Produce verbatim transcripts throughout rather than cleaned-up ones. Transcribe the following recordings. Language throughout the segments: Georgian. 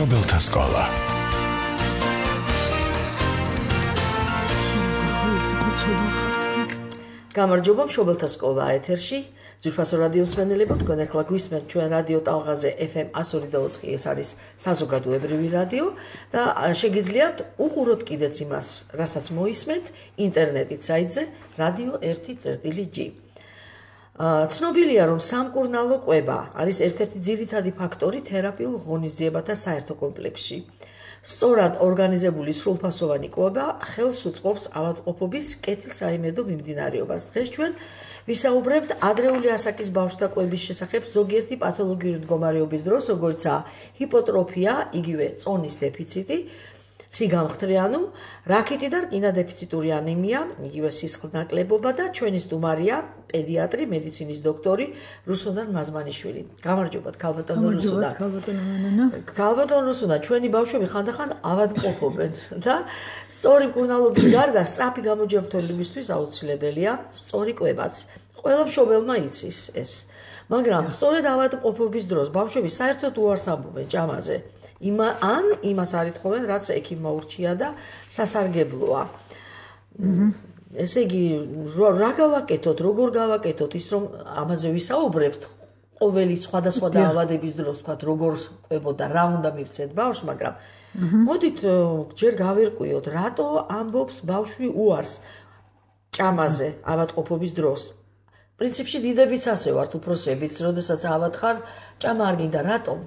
მშობელთა სკოლა. გამარჯობა, მშობელთა სკოლა ეთერში. ძვირფასო რადიოს მსმენელებო, თქვენ ახლა გვისმენთ ჩვენ რადიო ტალღაზე ეფ ემ one oh two point four, ეს არის საზოგადოებრივი რადიო და შეგიძლიათ უყუროთ კიდეც იმას, რასაც მოისმენთ ინტერნეტით საიტზე რადიო one წერტილი ჯი. ცნობილია, რომ სამკურნალო კვება არის ერთ-ერთი ძირითადი ფაქტორი თერაპიულ ღონისძიებათა საერთო კომპლექსში. სწორად ორგანიზებული სრულფასოვანი კვება ხელს უწყობს ავადმყოფობის კეთილსაიმედო მიმდინარეობას. დღეს ჩვენ ვისაუბრებთ ადრეული ასაკის ბავშვთა კვების შესახებ ზოგიერთი პათოლოგიური მდგომარეობის დროს, როგორიცაა ჰიპოტროფია, იგივე წონის დეფიციტი, სიგამხდრე, რაქიტი და რკინა-დეფიციტური ანემია, იგივე სისხლნაკლებობა და ჩვენი სტუმარია პედიატრი, მედიცინის დოქტორი რუსუდან მაზმანიშვილი. გამარჯობათ, ქალბატონო რუსუდან. ქალბატონო რუსუდან, ჩვენი ბავშვები ხანდახან ავადმყოფობენ და სწორი მკურნალობის გარდა სწრაფი გამოჯანმრთელებისთვის აუცილებელია სწორი კვებაც. ყველა მშობელმა იცის ეს, მაგრამ სწორედ ავადმყოფობის დროს ბავშვები საერთოდ უარს ამბობენ ჭამაზე. Ima an imas არ ითხოვენ, რაც ექიმმა ურჩია და სასარგებლოა. ესე იგი, რა გავაკეთოთ, როგორ გავაკეთოთ ის, რომ ამაზე ვისაუბრებთ, ყოველი სხვადასხვა დაავადების დროს, თქვათ, როგორ კვებოდა, რა უნდა მივცეთ ბავშვს, მაგრამ მოდით ჯერ გავერკვიოთ, რატო ამბობს ბავშვი უარს ჭამაზე ავადმყოფობის დროს. პრინციპში დიდებიც ასე ვართ, უფროსებიც, როდესაც ავად ხარ, ჭამა არ გინდა, რატომ?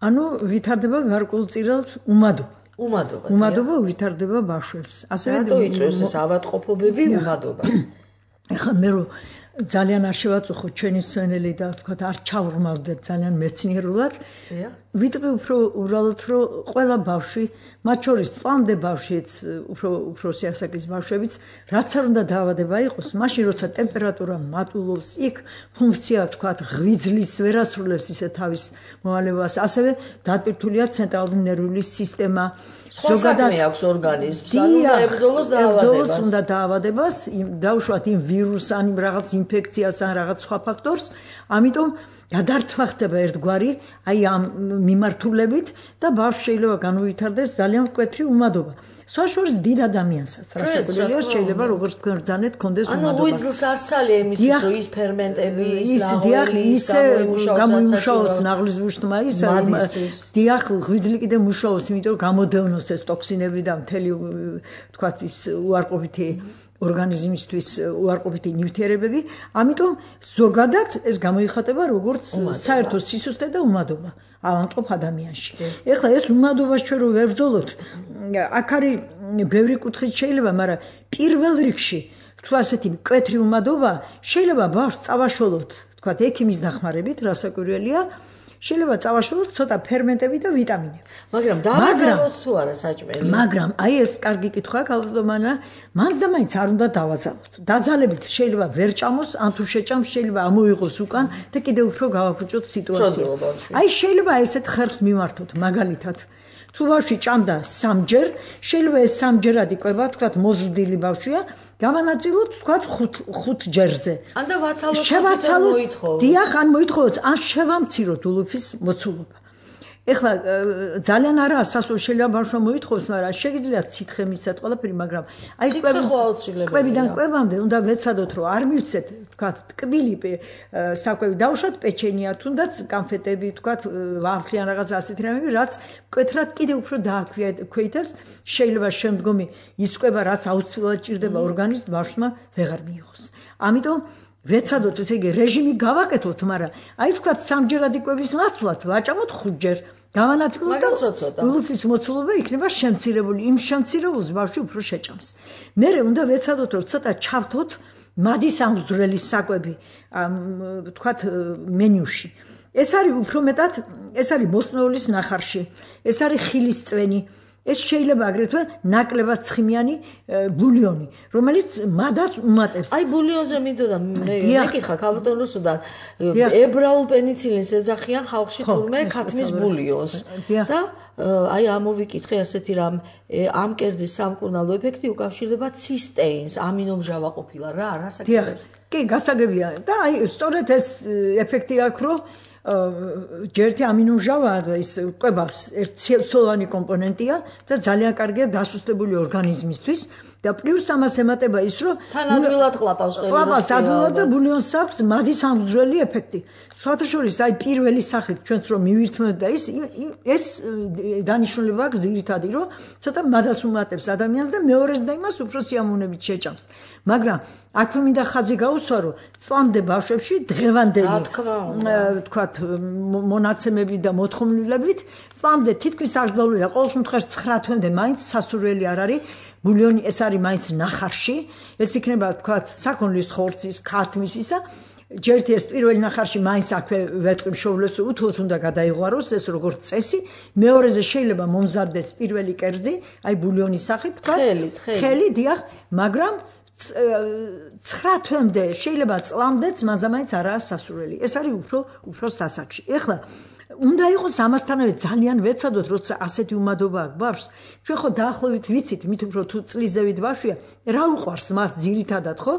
ანუ ვითარდება გარკვეულწილად უმადობა. უმადობა. უმადობა ვითარდება ბავშვებს. ასევე იწვევს ეს ავადმყოფობები უმადობა. ეხლა მე რომ ძალიან არ შევაწუხო ჩვენი მსმენელი და თქვა არ ჩავრმავდეთ ძალიან მეცნიერულად. ვიტყვი უფრო უბრალოდ რომ ყველა ბავშვი, მათ შორის წლამდე ბავშვიც, უფრო უფროსი ასაკის ბავშვებიც, რაც არ უნდა დაავადება იყოს, მაშინ როცა ტემპერატურა მატულობს, იქ ფუნქცია თქვა ღვიძლის ვერ ასრულებს ისე თავის მოვალეობას, ასევე დატვირთულია ცენტრალური ნერვული სისტემა. ზოგადად აქვს ორგანიზმს, ანუ ებრძოლოს დაავადებას. უნდა დაავადებას, დაუშვათ იმ ვირუსს, ან რაღაც ინფექციას, ან რაღაც სხვა ფაქტორს, ამიტომ გადართვა ხდება ერთგვარი აი ამ მიმართულებით და ბავშვი შეიძლება განუვითარდეს ძალიან მკვეთრი უმადობა. სხვა შორის დიდ ადამიანსაც, რასაკვირველია, შეიძლება როგორც თქვენ რძანეთ, კონდეს უმადობა. ანუ ღვიძლს ასწალია იმისთვის, რომ ის ფერმენტები, ის ნაღველი, ის გამოიმუშაოს ნაღლის ბუშტმა, ის დიახ, ღვიძლი კიდე მუშაობს, იმიტომ რომ გამოდევნოს ეს ტოქსინები და მთელი თქვათ ის უარყოფითი ორგანიზმისთვის უარყოფითი ნივთიერებები, ამიტომ ზოგადად ეს გამოიხატება როგორც საერთო სისუსტე და უმადობა ავადმყოფ ადამიანში. ეხლა ეს უმადობას ჩვენ რო ვებრძოლოთ, აქ არის ბევრი კუთხით შეიძლება, მაგრამ პირველ რიგში თუ ასეთი მკვეთრი უმადობა შეიძლება ბავშვს წავაშველოთ, თქვათ ექიმის დახმარებით, რასაკვირველია, შეიძლება წავაშველოთ ცოტა ფერმენტები და ვიტამინები. მაგრამ დავაძალოთ თუ არა საჭმელი? მაგრამ აი ეს კარგი კითხვაა, ქალბატონო, მანც და მაინც არ უნდა დავაძალოთ. დაძალებით შეიძლება ვერ ჭამოს, ან თუ შეჭამს შეიძლება ამოიღოს უკან და კიდევ უფრო გავაფუჭოთ სიტუაცია. აი შეიძლება ესეთ ხერხს მიმართოთ, მაგალითად. თუ ბავშვი ჭამდა სამჯერ, შეიძლება ეს სამჯერადი კვება, თქვათ მოზრდილი ბავშვია, გავანაწილოთ, თქვათ ხუთ ჯერზე. ან და ვაცალოთ, შევაცალოთ, დიახ, ან მოითხოვოთ, ან შევამციროთ ულუფის მოცულობა. ეხლა ძალიან არაა სასურველი, შეიძლება ბავშვმა მოითხოვოს, მაგრამ შეგიძლიათ სითხე მისცეთ ყველაფერი, მაგრამ აი კვებიდან კვებამდე უნდა ვეცადოთ, რომ არ მივცეთ, თქვათ, ტკბილი საკვები, დავუშვათ პეჩენია, თუნდაც კანფეტები, თქვათ, ვაფლი ან რაღაც ასეთი რამეები, რაც მკვეთრად კიდევ უფრო დააქვეითებს, შეიძლება შემდგომი ის კვება, რაც აუცილებლად ჭირდება ორგანიზმს, ბავშვმა ვეღარ მიიღოს. ამიტომ ვეცადოთ, ესე იგი, რეჟიმი გავაკეთოთ, მაგრამ აი თქვათ სამჯერადი კვების ნაცვლად ვაჭამოთ ხუთჯერ. გავანაწილოთ და ულუფის მოცულობა იქნება შემცირებული, იმ შემცირებულს ბავშვი უფრო შეჭამს. მერე უნდა ვეცადოთ, რომ ცოტა ჩავთოთ მადის ამზრელის საკვები, თქვათ მენიუში. ეს არის უფრო მეტად, ეს არის ბოსტნეულის ნახარში, ეს არის ხილის წვენი. ეს შეიძლება აგრეთვე ნაკლებად ცხიმიანი ბულიონი, რომელიც მადას უმატებს. აი ბულიონზე მინდოდა მე მეკითხა ქალბატონ რუსუდან, ებრაულ პენიცილინს ეძახიან ხალხში თურმე ქათმის ბულიონს. და აი ამოვიკითხე ასეთი რამ, ამ კერძის სამკურნალო ეფექტი უკავშირდება ცისტეინს, ამინომჟავა ყოფილა რა, რა საკითხებს. კი, გასაგებია და აი სწორედ ეს ეფექტი აქვს, რომ ჯერთი ამინომჟავა და ის კვებავს ერთცელოვანი კომპონენტია და ძალიან კარგია დასუსტებული ორგანიზმისთვის და პლუს ამას ემატება ის რომ თანადვილად ყლაპავს ყველი ყლაპავს ადვილად და ბულიონს აქვს მადის ამგზვრელი ეფექტი სხვათა შორის აი პირველი სახით ჩვენც რომ მივირთმევთ და ის ეს დანიშნულება აქვს ძირითადი რომ ცოტა მადას უმატებს ადამიანს და მეორეს და იმას უფრო სიამოვნებით შეჭამს მაგრამ აქვე მინდა ხაზი გაუსვა რომ წლამდე ბავშვებში დღევანდელი თქვათ მონაცემები და მოთხოვნილებით წლამდე თითქმის აკრძალულია ყოველ შემთხვევაში ცხრა თვემდე მაინც სასურველი არ არის ბულიონი ეს არის მაინც ნახარში ეს იქნება თქვათ საქონლის ხორცის ქათმის ისა ჯერთი ეს პირველი ნახარში მაინც აქვე ვეთქვი მშობლებს უთუოდ უნდა გადაიღვაროს ეს როგორც წესი მეორეზე შეიძლება მომზადდეს პირველი კერძი აი ბულიონის სახით თქვათ ხელი დიახ მაგრამ ცხრა თვემდე შეიძლება წლამდეც მანზამაინც არაა სასურველი ეს არის უფრო უფრო სასაკში ეხლა უნდა იყოს ამასთანავე ძალიან ვეცადოთ როცა ასეთი უმადობა აქვს ბავშვს ჩვენ ხო დაახლოებით ვიცით მით უფრო თუ წლიზევით ბავშვია რა უყვარს მას ძირითადად ხო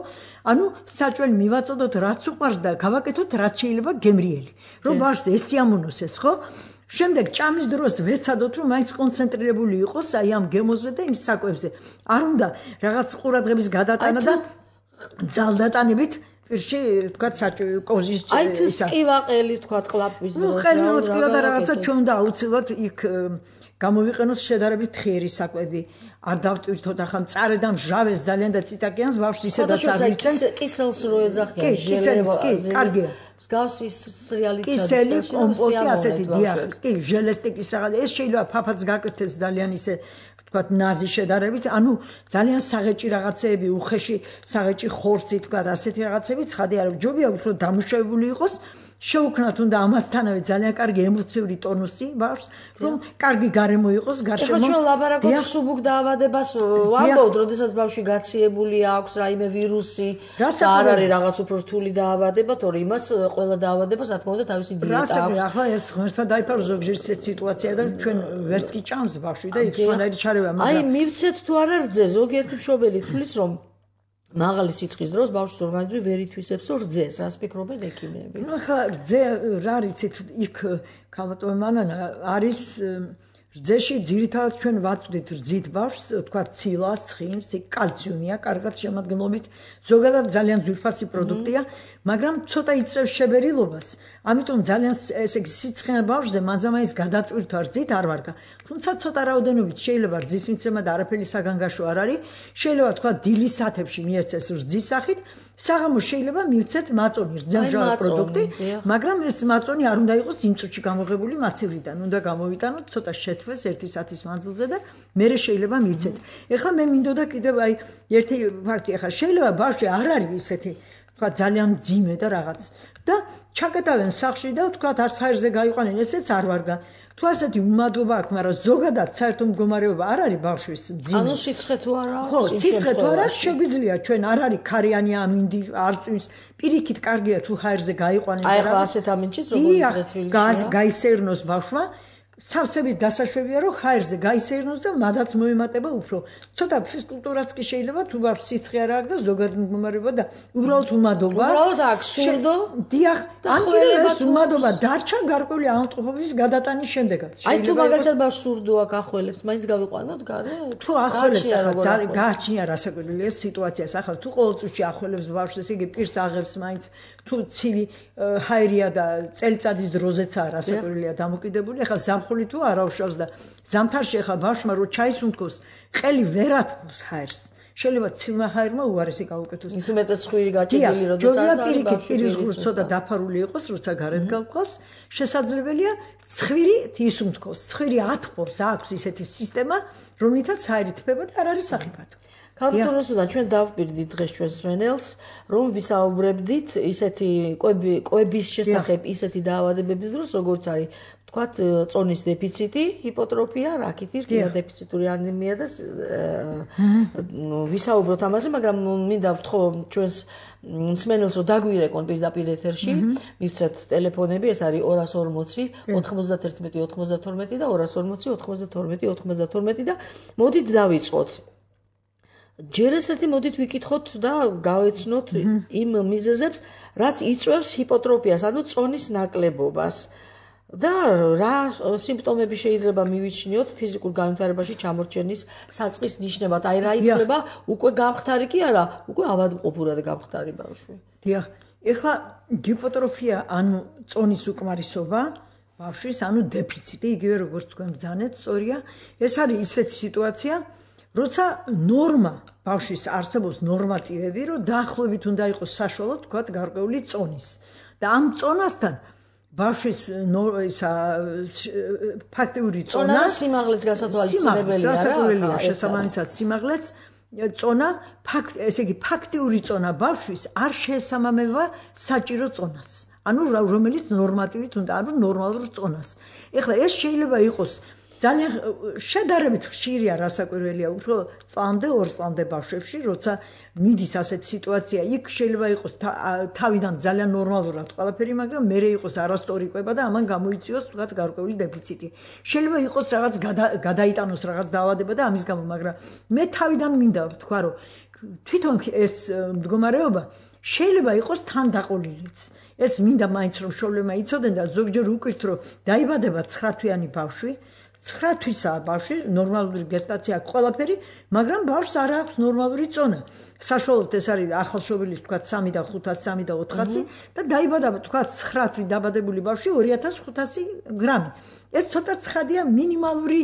ანუ საჭველი მივაწოდოთ რაც უყვარს და გავაკეთოთ რაც შეიძლება გემრიელი რომ ბავშვს ეს სიამოვნოს ეს ხო შემდეგ ჭამის დროს ვეცადოთ რომ მაინც კონცენტრირებული იყოს აი ამ გემოზე და იმ საკვებზე არ უნდა რაღაც ყურადღების გადატანა და ძალდატანებით პირში თქვა საჭველი კოზის აი თუ სკივაყელი თქვა ყლაპვის დროს ნუ ხელი რომ ტკივა და რაღაცა ჩვენ უნდა აუცილებლად იქ გამოვიყენოთ შედარებით ხიერი საკვები არ დავტვირთოთ ახლა მწარე და მჟავეს ძალიან და ციტაკიანს ბავშვს ისედაც არ ვიცენ კისელს რო ეძახიან ჟელეს კი კარგია მსგავსი სრიალი კისელი კომპოტი ასეთი დიახ კი ჟელესტიკის რაღაც ეს შეიძლება ფაფაც გაკეთდეს ძალიან ისე თქვათ ნაზი შედარებით ანუ ძალიან საღეჭი რაღაცეები უხეში საღეჭი ხორცი თქვათ ასეთი რაღაცები ცხადი არ ჯობია უფრო დამუშავებული იყოს შეუქმნათ უნდა ამასთანავე ძალიან კარგი ემოციური ტონუსი ბავშვს რომ კარგი გარემო იყოს გარშემო ხო ჩვენ ლაბარაკობთ სუბუქ დაავადებას ვამბობთ როდესაც ბავშვი გაციებული აქვს რაიმე ვირუსი და არ არის რაღაც უფრო რთული დაავადება თორე იმას ყველა დაავადებას რა თქმა უნდა თავისი დიეტა აქვს ახლა ეს ღმერთმა დაიფარო ზოგჯერ ეს სიტუაცია და ჩვენ ვერც კი ჭამს ბავშვი და იქ სხვანაირი ჩარევა მაგრამ აი მივცეთ თუ არა რძე ზოგიერთი მშობელი თulis რომ მაღალი სიცხის დროს ბავშვს ორგანიზმი ვერ ითვისებს რძეს, რას ფიქრობენ ექიმები? ნუ ხა რძე რა რიცით იქ ქალბატონი მანანა არის რძეში ძირითადად ჩვენ ვაწვდით რძით ბავშვს, თქვა ცილას, ცხიმს, კალციუმია, კარგად შემადგენლობით, ზოგადად ძალიან ძვირფასი პროდუქტია, მაგრამ ცოტა იწევს შებერილობას. ამიტომ ძალიან ესე იგი სიცხენა ბავშვზე მანზამაინც გადატვირთვა რძით არ ვარგა. თუმცა ცოტა რაოდენობით შეიძლება რძის მიცემა და არაფერი საგანგაშო არ არის. შეიძლება თქვა დილის საათებში მიეცეს რძის სახით, საღამოს შეიძლება მივცეთ მაწონი, რძემჟავი პროდუქტი, მაგრამ ეს მაწონი არ უნდა იყოს იმ წუთში გამოღებული მაცივრიდან. უნდა გამოვიტანოთ ცოტა შეთვეს ერთი საათის მანძილზე და მერე შეიძლება მივცეთ. ეხლა მე მინდოდა კიდევ აი ერთი ფაქტი, ეხლა შეიძლება ბავშვი არ არის ისეთი თქვა ძალიან ძიმე და რაღაც და ჩაკეტავენ სახლში და თქვა არც ჰაერზე გაიყვანენ ესეც არ ვარგა თუ ასეთი უმადობა აქვს მაგრამ ზოგადად საერთო მდგომარეობა არ არის ბავშვის ძიმე ანუ სიცხე თუ არა ხო სიცხე თუ არა შეგვიძლია ჩვენ არ არის ქარიანი ამინდი არ წვიმს პირიქით კარგია თუ ჰაერზე გაიყვანენ და აი ხა ასეთ ამინჩიც როგორც დღეს თბილისში გაისერნოს ბავშვა სავსებით დასაშვებია რომ ჰაერზე გაისერნოს და მადაც მოემატება უფრო ცოტა ფიზკულტურაც კი შეიძლება თუ ბავშვს სიცხე არ აქვს და ზოგადად მდგომარეობა და უბრალოდ უმადობა უბრალოდ აქვს სურდო დიახ ან კიდევ ეს უმადობა დარჩა გარკვეული ავადმყოფობის გადატანის შემდეგაც აი თუ მაგალითად ბავშვს სურდო აქვს ახველებს მაინც გავიყვანოთ გარე თუ ახველებს ახლა ძალიან გააჩნია რასაკვირველი ეს სიტუაციას ახლა თუ ყოველწუთში ახველებს ბავშვს ესე იგი პირს აღებს მაინც თუ ცივი ჰაერია და წელიწადის დროზეცაა რასაკვირველია დამოკიდებული ახლა ზამხული თუ არ აუშავს და ზამთარში ახლა ბავშვმა რო ჩაის უნთქოს ყელი ვერ ათბობს ჰაერს შეიძლება ცივმა ჰაერმა უარესი გაუკეთოს თუ მეტად ცხვირი გაჭედილი როდესაც პირიქით პირის ღრუს ცოტა დაფარული იყოს როცა გარეთ გავყავს შესაძლებელია ცხვირი ის უნთქოს ცხვირი ათბობს აქვს ისეთი სისტემა რომლითაც ჰაერი თბება და არ არის სახიფათო ქალბატონოსთან ჩვენ დავპირდით დღეს ჩვენს სვენელს რომ ვისაუბრებდით ისეთი კვები კვების შესახებ ისეთი დაავადებების დროს როგორც არის თქვათ წონის დეფიციტი, ჰიპოტროფია, რაკითი, რკინა დეფიციტური ანემია და ვისაუბროთ ამაზე, მაგრამ მინდა ვთხოვ ჩვენს მსმენელს რომ დაგვირეკონ პირდაპირ ეთერში, მივცეთ ტელეფონები, ეს არის ორას ორმოცი, ოთხმოცდაერთმეტი, ოთხმოცდათორმეტი და ორას ორმოცი, ოთხმოცდათორმეტი, ოთხმოცდათორმეტი და მოდით დავიწყოთ. ჯერ ეს ერთი მოდით ვიკითხოთ და გავეცნოთ იმ მიზეზებს, რაც იწვევს ჰიპოტროფიას, ანუ წონის ნაკლებობას. და რა სიმპტომები შეიძლება მივიჩნიოთ ფიზიკურ განვითარებაში ჩამორჩენის საწყის ნიშნებად? აი რა ითვლება უკვე გამხდარი კი არა, უკვე ავადმყოფურად გამხდარი ბავშვი. დიახ, ეხლა ჰიპოტროფია, ანუ წონის უკმარისობა ბავშვის, ანუ დეფიციტი, იგივე როგორც თქვენ ბრძანეთ, სწორია. ეს არის ისეთი სიტუაცია, როცა ნორმა ბავშვის არსებობს ნორმატივები, რომ დაახლოებით უნდა იყოს საშუალო, თქვათ, გარკვეული წონის. და ამ წონასთან ბავშვის ისა ფაქტიური წონა სიმაღლეც გასათვალისწინებელია რა, შესაბამისად სიმაღლეც წონა ფაქტ ესე იგი ფაქტიური წონა ბავშვის არ შეესაბამება საჭირო წონას. ანუ რომელიც ნორმატივით უნდა, ანუ ნორმალურ წონას. ეხლა ეს შეიძლება იყოს ძალიან შედარებით ხშირია, რასაკვირველია, უფრო წლამდე, ორ წლამდე ბავშვებში, როცა მიდის ასეთი სიტუაცია, იქ შეიძლება იყოს თავიდან ძალიან ნორმალურად ყველაფერი, მაგრამ მერე იყოს არასწორი კვება და ამან გამოიწვიოს თქვათ გარკვეული დეფიციტი. შეიძლება იყოს რაღაც გადაიტანოს რაღაც დაავადება და ამის გამო, მაგრამ მე თავიდან მინდა ვთქვა, რომ თვითონ ეს მდგომარეობა შეიძლება იყოს თანდაყოლილიც. ეს მინდა მაინც რომ შოლემა იცოდნენ და ზოგჯერ უკვირთ, რომ დაიბადება ცხრა თვიანი ბავშვი, ცხრა თვისაა ბავშვი, ნორმალური გესტაცია აქვს ყველაფერი, მაგრამ ბავშვს არ აქვს ნორმალური წონა. საშუალოდ ეს არის ახალშობილის თქვათ სამი და ხუთასი, სამი და ოთხასი და დაიბადა თქვათ ცხრა თვით დაბადებული ბავშვი ორი ათას ხუთასი გრამი. ეს ცოტა ცხადია, მინიმალური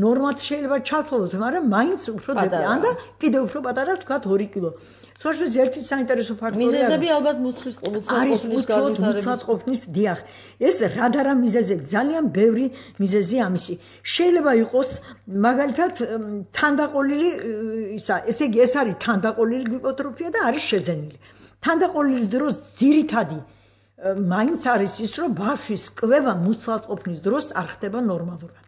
ნორმად შეიძლება ჩავთვალოთ, მაგრამ მაინც უფრო დეპრა და კიდევ უფრო პატარა თქვათ ორი კილო. საშუალოდ ერთი საინტერესო ფაქტორია. მიზეზები ალბათ მუცლის მუცლყოფნის მუცლყოფნის დიახ. ეს რადარა მიზეზები, ძალიან ბევრი მიზეზი ამისი. შეიძლება იყოს მაგალითად თანდაყოლილი ისა, ესე იგი ეს არის თანდაყოლილი ჰიპოტროფია და არის შეძენილი. თანდაყოლილის დროს ძირითადი მაინც არის ის, რომ ბავშვის კვება მუცლყოფნის დროს არ ხდება ნორმალურად.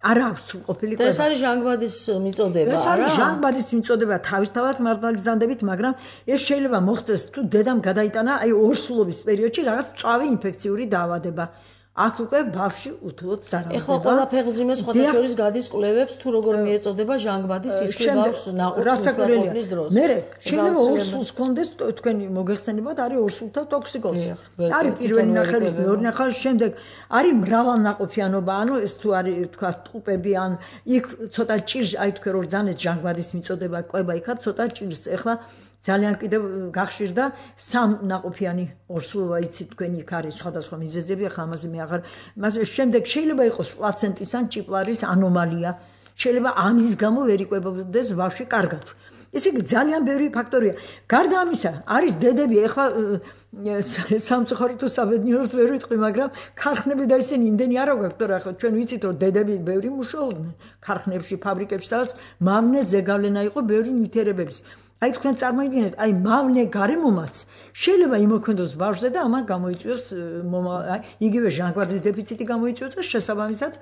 არ აქვს სრულყოფილი კვება. ეს არის ჟანგბადის მიწოდება, არა? ეს არის ჟანგბადის მიწოდება თავისთავად მართლგზანდებით, მაგრამ ეს შეიძლება მოხდეს თუ დედამ გადაიტანა აი ორსულობის პერიოდში რაღაც მწვავე ინფექციური დაავადება. აქ უკვე ბავშვი უთუოდ ზარავდება. ეხლა ყველა ფეხმძიმეს სხვათა შორის გადის კვლევებს თუ როგორ მიეწოდება ჟანგბადის ისე ბავშვს ნაყოფის დროს. მერე შეიძლება ორსულს კონდეს თქვენი მოგეხსენებათ არის ორსულთა ტოქსიკოზი. არის პირველი ნახევრის, მეორე ნახევრის შემდეგ არის მრავალნაყოფიანობა, ანუ ეს თუ არის თქვა ტყუპები ან იქ ცოტა ჭირს, აი თქვენ რო ძანეთ ჟანგბადის მიწოდება კვება იქა ცოტა ჭირს. ეხლა ძალიან კიდევ გახშირდა სამ ნაყოფიანი ორსულობა, იცით თქვენი იქ არის სხვადასხვა მიზეზები, ახლა ამაზე მე აღარ მას შემდეგ შეიძლება იყოს პლაცენტის ან ჭიპლარის ანომალია, შეიძლება ამის გამო ვერ იკვებოდეს ბავშვი კარგად. ესე იგი ძალიან ბევრი ფაქტორია. გარდა ამისა არის დედები, ახლა სამწუხაროდ თუ საბედნიეროდ ვერ ვიტყვი, მაგრამ ქარხნები და ისინი იმდენი არ აქვს, თორე ახლა ჩვენ ვიცით რომ დედები ბევრი მუშაობდნენ ქარხნებში, ფაბრიკებში, სადაც მავნე ზეგავლენა იყო ბევრი ნივთიერებების. აი თქვენ წარმოიდგინეთ, აი მავნე გარემომაც შეიძლება იმოქმედოს ბავშვზე და ამან გამოიწვიოს იგივე ჟანგბადის დეფიციტი გამოიწვიოს და შესაბამისად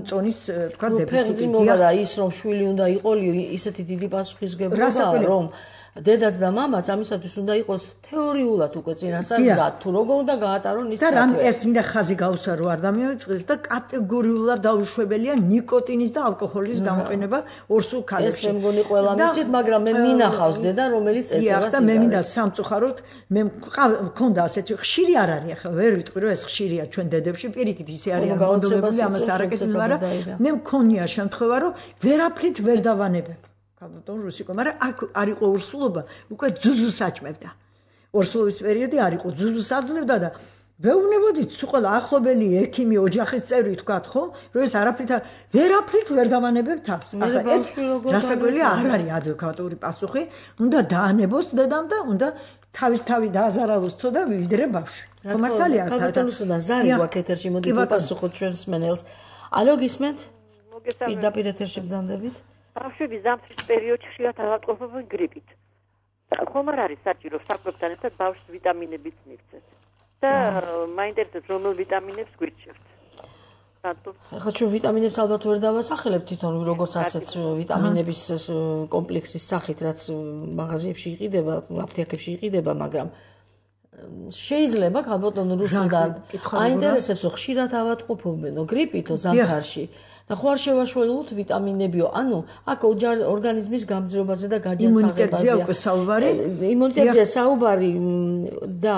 წონის თქვა დეფიციტი. და ის რომ შვილი უნდა იყოლიო, ისეთი დიდი პასუხისმგებლობა რომ დედაც და მამაც ამისათვის უნდა იყოს თეორიულად უკვე წინასწარ თუ როგორ უნდა გაატარონ ის და რამ ეს მინდა ხაზი გაუსარო არ დამიწყდეს და კატეგორიულად დაუშვებელია ნიკოტინის და ალკოჰოლის გამოყენება ორსულ ქალებში. ეს მე მგონი ყველა მიცით, მაგრამ მე მინახავს დედა რომელიც ეწევა და მე მინდა სამწუხაროდ მე მქონდა ასეთი ხშირი არ არის, ახლა ვერ ვიტყვი რომ ეს ხშირია ჩვენ დედებში, პირიქით ისე არიან მონდომებული, ამას არაკეთებს, მაგრამ მე მქონია შემთხვევა რომ ვერაფრით ვერ დავანებებ. ბატონ რუსიკო, მაგრამ აქ არ იყო ორსულობა, უკვე ძუძუს აჭმევდა. ორსულობის პერიოდი არ იყო, ძუძუს აძლევდა და ვეუბნებოდით თუ ყველა ახლობელი ექიმი, ოჯახის წევრი თქვათ, ხო, რომ ეს არაფრით ვერაფრით ვერ დავანებებ თავს. ახლა ეს რასაკვირველია არ არის ადეკვატური პასუხი, უნდა დაანებოს დედამ და უნდა თავის თავი დააზარალოს თო და ვიდრე ბავშვი. მართალია, ქალბატონოსთან ზარი გვაქვს ეთერში, მოდით უპასუხოთ ჩვენს მენელს. ალო, გისმენთ? პირდაპირ ეთერში ბრძანდებით. ბავშვები ზამთრის პერიოდში ხშირად ავადმყოფობენ გრიპით. ხომ არ არის საჭირო საკვებთან ერთად ბავშვს ვიტამინებიც მივცეთ. და მაინტერესებს რომელ ვიტამინებს გვირჩევთ. ახლა ჩვენ ვიტამინებს ალბათ ვერ დავასახელებთ თვითონ როგორც ასეც ვიტამინების კომპლექსის სახით, რაც მაღაზიებში იყიდება, აფთიაქებში იყიდება, მაგრამ შეიძლება ქალბატონ რუსუდან აინტერესებს ხშირად ავადმყოფობენო გრიპითო ზამთარში. და ხო არ შევაშველოთ ვიტამინებიო. ანუ აქ ორგანიზმის გამძლეობაზე და გაჯანსაღებაზე. იმუნიტეტზეა უკვე საუბარი. იმუნიტეტზეა საუბარი და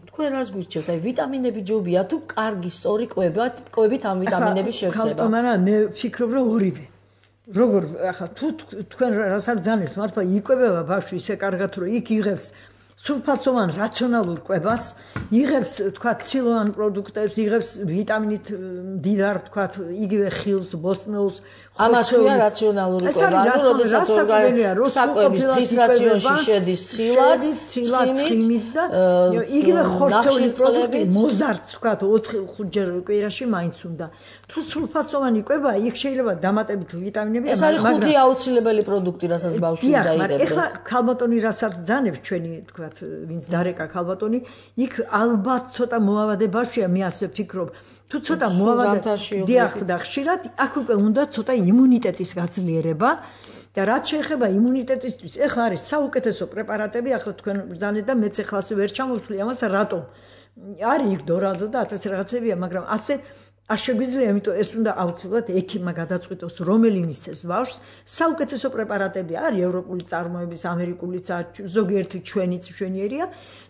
თქვენ რას გვირჩევთ? აი ვიტამინები ჯობია თუ კარგი სწორი კვებად, კვებით ამ ვიტამინების შევსება. ხალხო, მე ვფიქრობ რომ ორივე. როგორ ახლა თუ თქვენ რას არ ძანებთ, მართლა იკვებება ბავშვი ისე კარგად რომ იქ იღებს სულფატოვან რაციონალურ კვებას, იღებს თქვა ცილოვან პროდუქტებს, იღებს ვიტამინით მდიდარ თქვა იგივე ხილს, ბოსტნეულს, ამას ქვია რაციონალური კვება. ანუ როდესაც საკვების დღის რაციონში შედის ცილაც, ცხიმის და იგივე ხორცეული პროდუქტი, მოზარდ თქვა ოთხ ხუთჯერ კვირაში მაინც უნდა. თუ სულფატოვანი კვება, იქ შეიძლება დამატებით ვიტამინები, ეს არის ხუთი აუცილებელი პროდუქტი, რასაც ბავშვი უნდა იღებს. ეხლა ქალბატონი რასაც ძანებს ჩვენი თქვა ვინც დარეკა ქალბატონი, იქ ალბათ ცოტა მოავადე ბავშვია, მე ასე ვფიქრობ. თუ ცოტა მოავადე დიახ და ხშირად, აქ უკვე უნდა ცოტა იმუნიტეტის გაძლიერება და რაც შეეხება იმუნიტეტისთვის, ეხლა არის საუკეთესო პრეპარატები, ახლა თქვენ ბრძანეთ და მეც ეხლა ასე ვერ ჩამოვთვლი ამას, რატომ? არის იქ დორადო და ათასი რაღაცებია, მაგრამ ასე არ შეგვიძლია, იმიტომ ეს უნდა აუცილებლად ექიმმა გადაწყვიტოს, რომელი მისცეს ბავშვს. საუკეთესო პრეპარატები არის ევროპული წარმოების, ამერიკულიც, ზოგიერთი ჩვენიც მშვენიერია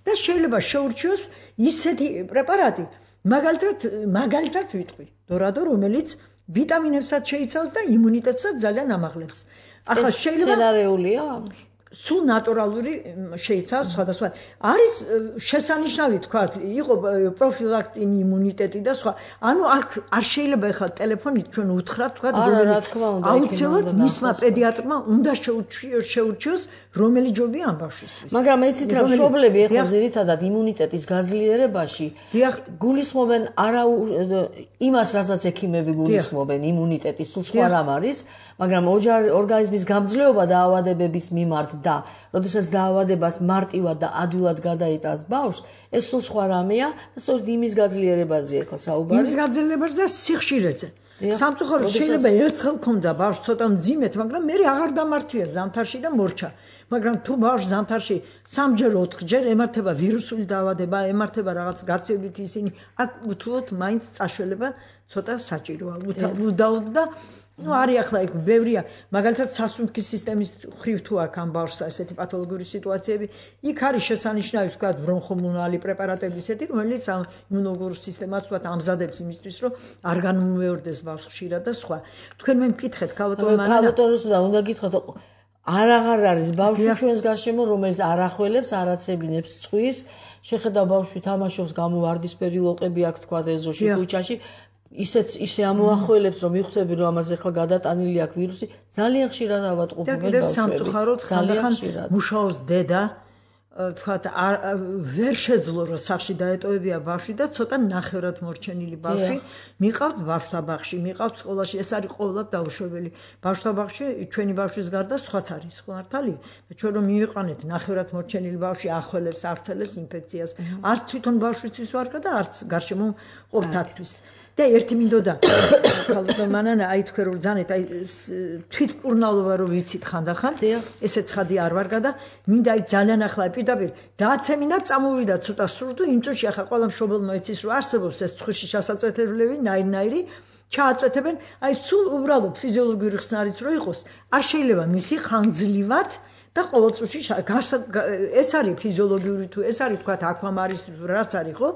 და შეიძლება შეურჩიოს ისეთი პრეპარატი, მაგალითად, მაგალითად ვიტყვი, დორადო, რომელიც ვიტამინებსაც შეიცავს და იმუნიტეტსაც ძალიან ამაღლებს. ახლა შეიძლება სცენარეულია? სულ ნატურალური შეიცავს სხვადასხვა. არის შესანიშნავი თქვა, იყო პროფილაქტინი იმუნიტეტი და სხვა. ანუ აქ არ შეიძლება ახლა ტელეფონით ჩვენ უთხრათ თქვა, რომელი აუცილებლად მისმა პედიატრმა უნდა შეურჩიოს, რომელი ჯობია ამ ბავშვისთვის. მაგრამ იცით რა, მშობლები ახლა ძირითადად იმუნიტეტის გაძლიერებაში გულისხმობენ არა იმას, რასაც ექიმები გულისხმობენ იმუნიტეტის, სულ სხვა რამ არის, მაგრამ ორგანიზმის გამძლეობა დაავადებების მიმართ და როდესაც დაავადებას მარტივად და ადვილად გადაიტანს ბავშვს, ეს სულ სხვა რამეა და სწორედ იმის გაძლიერებაზეა ახლა საუბარი. იმის გაძლიერებაზე და სიხშირეზე. სამწუხაროდ შეიძლება ერთხელ ქონდა ბავშვს ცოტა მძიმედ, მაგრამ მე აღარ დამართვია ზამთარში და მორჩა. მაგრამ თუ ბავშვს ზამთარში სამჯერ ოთხჯერ ემართება ვირუსული დაავადება, ემართება რაღაც გაცივებით ისინი, აქ უთუოდ მაინც წაშველება ცოტა საჭიროა. უდაოდ და ну არის ახლა იქ ბევრია, მაგალითად სასუნთქის სისტემის ხრივ თუ აქ ამ ბავშვს ესეთი პათოლოგიური სიტუაციები, იქ არის შესანიშნავი თქვა ბრონხომუნალი პრეპარატები ისეთი, რომელიც იმუნოლოგურ სისტემას თქვა ამზადებს იმისთვის, რომ არ განმეორდეს ბავშვს ხშირად და სხვა. თქვენ მე მკითხეთ ქალბატონო მანანა. ქალბატონს უნდა გითხრათ, არ აღარ არის ბავშვი ჩვენს გარშემო, რომელიც არ ახველებს, არ აცებინებს წვის, შეხედა ბავშვი თამაშობს, გამოვარდისფერი ლოყები აქვს თქვა ეზოში, ქუჩაში. ისეც ისე ამოახველებს, რომ მიხვდები, რომ ამაზე ახლა გადატანილი აქვს ვირუსი, ძალიან ხშირად ავატყობენ ბავშვები. და კიდე სამწუხაროდ ხანდახან მუშაობს დედა, თქვათ ვერ შეძლო რომ სახში დაეტოვებია ბავშვი და ცოტა ნახევრად მორჩენილი ბავშვი მიყავთ ბავშვთა ბაღში, მიყავთ სკოლაში, ეს არის ყოველად დაუშვებელი. ბავშვთა ბაღში ჩვენი ბავშვის გარდა სხვაც არის, ხო მართალია? და ჩვენ რომ მივიყვანეთ ნახევრად მორჩენილი ბავშვი ახველებს, არცელებს ინფექციას, არც თვითონ ბავშვისთვის ვარგა და არც გარშემო ყოფთათვის. და ერთი მინდოდა ქალბატონ მანანა, აი თქვენ რომ ძანეთ, აი თვითმკურნალობა რომ ვიცით ხანდახან, ესე ცხადი არ ვარგა და მინდა აი ძალიან ახლა პირდაპირ დააცემინა, წამოვიდა ცოტა სრუტო, იმ წუთში ახლა ყველა მშობელმა იცის რომ არსებობს ეს ცხვირში ჩასაწვეთებლები, ნაირ-ნაირი, ჩააწვეთებენ, აი სულ უბრალოდ ფიზიოლოგიური ხსნარიც რო იყოს, არ შეიძლება მისი ხანგრძლივად და ყოველ წუთში ეს არის ფიზიოლოგიური თუ ეს არის თქვა აკვამარის რაც არის, ხო?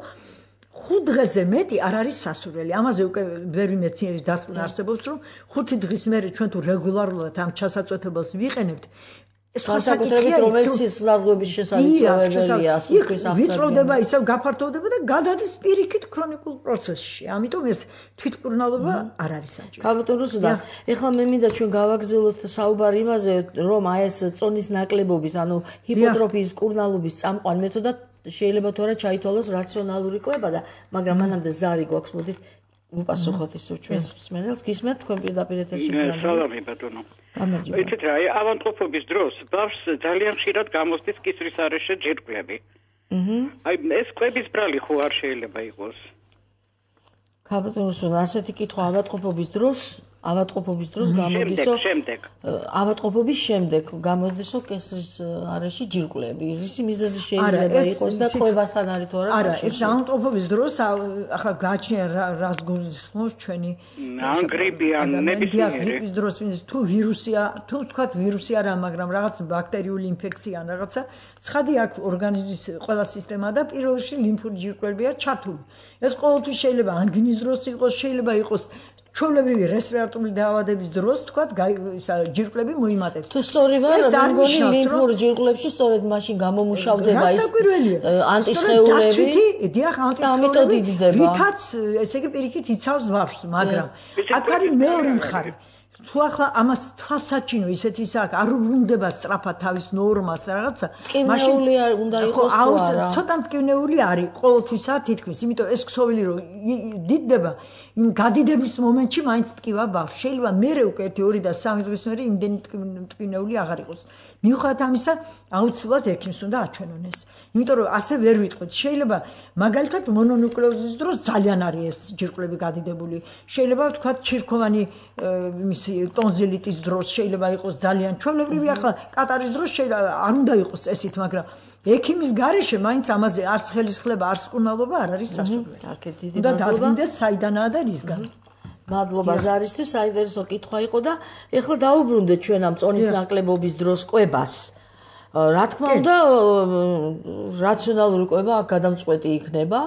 ხუთ დღეზე მეტი არ არის სასურველი. ამაზე უკვე ბევრი მეცნიერის დასკვნა არსებობს, რომ ხუთი დღის მერე ჩვენ თუ რეგულარულად ამ ჩასაწვეთებელს ვიყენებთ, სხვა საკუთრებით რომელიც სიზარღვების შესაძლებელია, სულფის აღწევი. ვიწროვდება, ისევ გაფართოვდება და გადადის პირიქით ქრონიკულ პროცესში. ამიტომ ეს თვითმკურნალობა არ არის საჭირო. ქალბატონ რუსუდა, ეხლა მე მინდა ჩვენ გავაგრძელოთ საუბარი იმაზე, რომ აი ეს წონის ნაკლებობის, ანუ ჰიპოტროფიის მკურნალობის წამყვან მეთოდად შეიძლება თუ არა ჩაითვალოს რაციონალური კვება და მაგრამ მანამდე ზარი გვაქვს, მოდით უპასუხოთ ისევ ჩვენს მსმენელს. გისმენთ თქვენ პირდაპირ ეთერში მზადდება. სალამი ბატონო. იცით რა, ავადმყოფობის დროს ბავშვს ძალიან ხშირად გამოსდის კისრის არეშე ჯირკვლები. აჰა. აი ეს კვების ბრალი ხო არ შეიძლება იყოს? ქალბატონო, ასეთი კითხვა ავადმყოფობის დროს ავადმყოფობის დროს გამოდისო ავადმყოფობის შემდეგ გამოდისო კესრის არეში ჯირკვლები. რისი მიზეზი შეიძლება იყოს და ყובასთან არის თუ არა? არა, ეს ავადმყოფობის დროს ახლა გააჩნია რას გულისხმობს ჩვენი ან გრიპი ან ნებისმიერი. გრიპის დროს თუ ვირუსია, თუ თქვათ ვირუსი არა, მაგრამ რაღაც ბაქტერიული ინფექცია ან რაღაცა, ცხადი აქვს ორგანიზმის ყველა სისტემა და პირველ რიგში ლიმფური ჯირკლებია ჩართული. ეს ყოველთვის შეიძლება ანგინის დროს იყოს, შეიძლება იყოს ჩვეულებრივი რესპირატორული დაავადების დროს თქვათ ისა ჯირკვლები მოიმატებს. თუ სწორი ვარ, მეგონი ლიმფურ ჯირკვლებში სწორედ მაშინ გამომუშავდება ის ანტისხეულები. დიახ, ანტისხეულები, რითაც ესე იგი პირიქით იცავს ბავშვს, მაგრამ აქ არის მეორე მხარე. თუ ახლა ამას თვალსაჩინო ისეთი ის აქვს, არ უნდა სწრაფად თავის ნორმას რაღაცა, მაშინ უნდა იყოს თუ არა. ცოტა მტკივნეული არის ყოველთვისა თითქმის, იმიტომ ეს ქსოვილი რომ დიდდება იმ გადიდების მომენტში მაინც ტკივა ბავშვს. შეიძლება მერე უკვე ერთი ორი და სამი დღის მერე იმდენი მტკივნეული აღარ იყოს. მიუხედავად ამისა, აუცილებლად ექიმს უნდა აჩვენონ ეს. იმიტომ რომ ასე ვერ ვიტყვით. შეიძლება მაგალითად მონონუკლეოზის დროს ძალიან არის ეს ჯირკვლები გადიდებული. შეიძლება ვთქვათ ჩირქოვანი იმის ტონზილიტის დროს შეიძლება იყოს ძალიან ჩვეულებრივი ახლა კატარის დროს შეიძლება არ უნდა იყოს წესით, მაგრამ ექიმის გარეშე მაინც ამაზე არც ხელისხლება, არც კურნალობა არ არის სასურველი. კარგი, დიდი მადლობა. და დადგინდეს საიდანაა და რისგან. მადლობა ზარისთვის, საინტერესო კითხვა იყო და ეხლა დაუბრუნდეთ ჩვენ ამ წონის ნაკლებობის დროს კვებას. რა თქმა უნდა, რაციონალური კვება აქ გადამწყვეტი იქნება,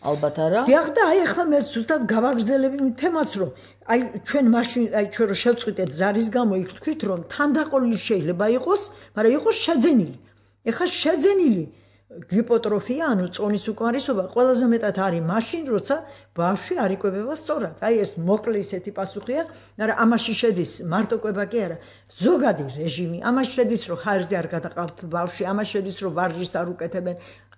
ალბათ არა. დიახ და აი ახლა მე ზუსტად გავაგრძელებ იმ თემას, რომ აი ჩვენ მაშინ აი ჩვენ რო შევწყვიტეთ ზარის გამო იქ თქვით, რომ თანდაყოლილი შეიძლება იყოს, მაგრამ იყოს შეძენილი. ეხლა შეძენილი გიპოტროფია, ანუ წონის უკმარისობა ყველაზე მეტად არის მაშინ, როცა ბავშვი არ იკვებება სწორად. აი ეს მოკლე ისეთი პასუხია, მაგრამ ამაში შედის მარტო კვება კი არა, ზოგადი რეჟიმი, ამაში შედის, რომ ხარჯზე არ გადაყავთ ბავშვი, ამაში შედის, რომ ვარჯიშს არ უკეთებენ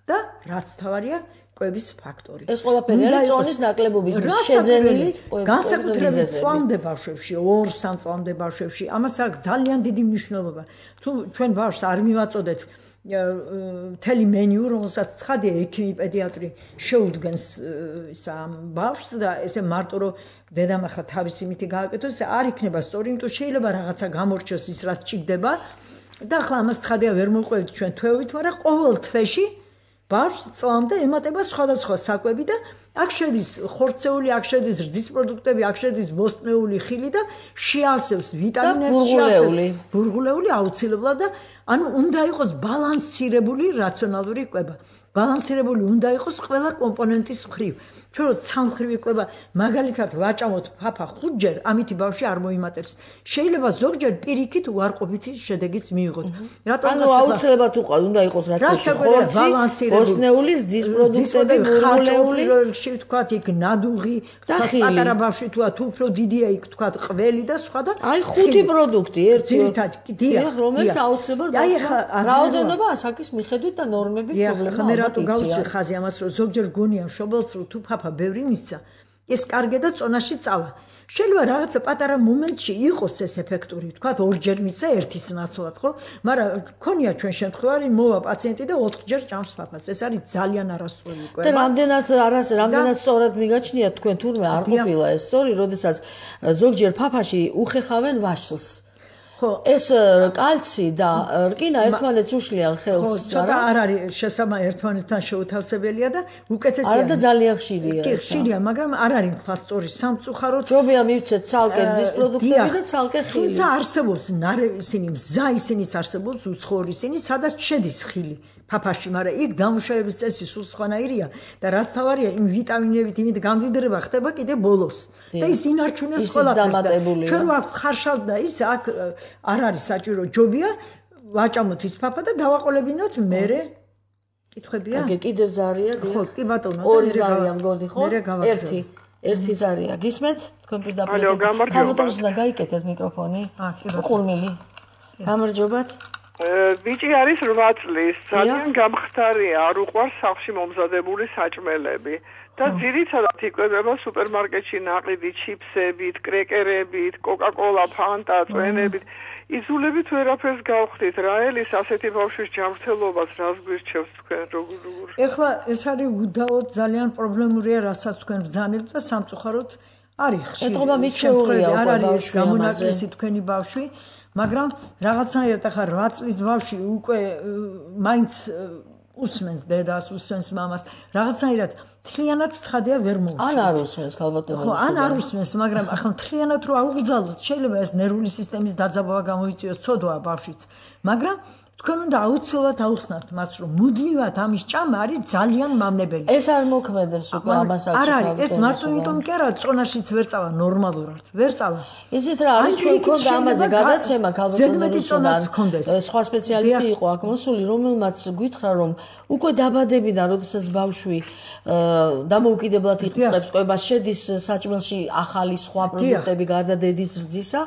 და რაც თავარია კვების ფაქტორი. ეს ყველაფერი არის წონის ნაკლებობის შეძენილი კვების. განსაკუთრებით წვამდე ბავშვებში, ორ სამ წვამდე ბავშვებში, ამას აქვს ძალიან დიდი მნიშვნელობა. თუ ჩვენ ბავშვს არ მივაწოდეთ მთელი მენიუ, რომელსაც ცხადია ექიმი პედიატრი შეუდგენს ისა ბავშვს და ესე მარტო რომ დედამ ახლა თავისი მითი გააკეთოს, არ იქნება სწორი, იმიტომ შეიძლება რაღაცა გამორჩოს ის რაც ჭირდება და ახლა ამას ცხადია ვერ მოვყვებით ჩვენ თვეობით, მაგრამ ყოველ თვეში ბავშვს წლამდე ემატება სხვადასხვა საკვები და აქ შედის ხორცეული, აქ შედის რძის პროდუქტები, აქ შედის ბოსტნეული ხილი და შეავსებს ვიტამინები, შეავსებს ბურღულეული აუცილებლად და ანუ უნდა იყოს ბალანსირებული რაციონალური კვება. ბალანსირებული უნდა იყოს ყველა კომპონენტის მხრივ. ჩვენ რო ცალმხრივი კვება მაგალითად ვაჭამოთ ფაფა ხუთჯერ, ამითი ბავშვი არ მოიმატებს. შეიძლება ზოგჯერ პირიქით უარყოფითი შედეგიც მიიღოთ. რატომ აუცილებლად უნდა იყოს რაც ეს ხორცი, ბოსტნეული, რძის პროდუქტები, ბურღულეული, რიგში ვთქვათ იქ ნადუღი, პატარა ბავშვი თუ თუ უფრო დიდია იქ ვთქვათ ყველი და სხვა და აი ხუთი პროდუქტი ერთი ძირითადად დიახ, რომელიც აუცილებლად აი ახლა რაოდენობა ასაკის მიხედვით და ნორმების პრობლემა. მე რატო გავუწევ ხაზი ამას, რომ ზოგჯერ გონია მშობელს, რომ თუ ფაფა ბევრი მისცა, ეს კარგია და წონაში წავა. შეიძლება რაღაცა პატარა მომენტში იყოს ეს ეფექტური, თქვათ ორჯერ მისცა ერთის ნაცვლად, ხო? მაგრამ ქონია ჩვენ შემთხვევაში მოვა პაციენტი და ოთხჯერ ჭამს ფაფას. ეს არის ძალიან არასწორი კვება. და რამდენად არას რამდენად სწორად მიგაჩნიათ თქვენ თურმე არ ყოფილა ეს სწორი, როდესაც ზოგჯერ ფაფაში უხეხავენ ვაშლს. ხო, ეს კალცი და რკინა ერთმანეთს უშლიან ხელს. ხო, ცოტა არ არის შესაბამი ერთმანეთთან შეუთავსებელია და უკეთესია. არა და ძალიან ხშირია. კი, ხშირია, მაგრამ არ არის ფასტორი სამწუხაროდ. ჯობია მივცეთ ცალკე რძის პროდუქტები და ცალკე ხილი. თუმცა არსებობს ნარევი ისინი, მზა ისინიც არსებობს, უცხოური ისინი, სადაც შედის ხილი. ფაფაში, მაგრამ იქ დამუშავების წესი სულ სხვანაირია და რაც თავარია იმ ვიტამინებით იმით გამდიდრება ხდება კიდე ბოლოს და ის ინარჩუნებს ყველაფერს. ჩვენ რო აქ ხარშავთ და ის აქ არ არის საჭირო, ჯობია ვაჭამოთ ის ფაფა და დავაყოლებინოთ მერე. კითხვებია? აგე კიდე ზარია, ხო, კი ბატონო, ორი ზარია მგონი, ხო? ერთი. ერთი ზარია. გისმენთ? თქვენ პირდაპირ. გამარჯობა. გაიკეთეთ მიკროფონი. ყურმილი. გამარჯობათ. ბიჭი არის რვა წლის, ძალიან გამხდარია, არ უყვარს სახლში მომზადებული საჭმელები და ძირითადად იკვებება სუპერმარკეტში ნაყიდი ჩიფსებით, კრეკერებით, კოკა-კოლა, ფანტა, წვენებით. იზულებით ვერაფერს გავხდით, რა ელის ასეთი ბავშვის ჯანმრთელობას რას გვირჩევს თქვენ როგორ როგორ? ეხლა ეს არის უდაოდ ძალიან პრობლემურია, რასაც თქვენ ბრძანებთ და სამწუხაროდ არის ხშირი ეთყობა მიჩეულია არ არის გამონაკლისი თქვენი ბავშვი მაგრამ რაღაცნაირად ახლა რვა წლის ბავშვი უკვე მაინც უსმენს დედას, უსმენს მამას, რაღაცნაირად მთლიანად ცხადია ვერ მოუჩვენს. ან არ უსმენს ქალბატონო. ხო, ან არ უსმენს, მაგრამ ახლა მთლიანად რო აუგზავნოთ, შეიძლება ეს ნერვული სისტემის დაძაბვა გამოიწვიოს, ცოდვა ბავშვიც. მაგრამ თქვენ უნდა აუცილებლად აუხსნათ მას, რომ მუდმივად ამის ჭამა არის ძალიან მავნებელი. ეს არ მოქმედებს უკვე ამას აქვს. არ არის, ეს მარტო იმიტომ კი არა, წონაშიც ვერ წავა ნორმალურად, ვერ წავა. ისეთ რა არის ჩვენ ქონდა ამაზე გადაცემა ქალბატონო სხვა სპეციალისტი იყო აქ მოსული, რომელმაც გითხრა, რომ უკვე დაბადებიდან, როდესაც ბავშვი დამოუკიდებლად იწყებს კვებას, შედის საჭმელში ახალი სხვა პროდუქტები გარდა დედის რძისა.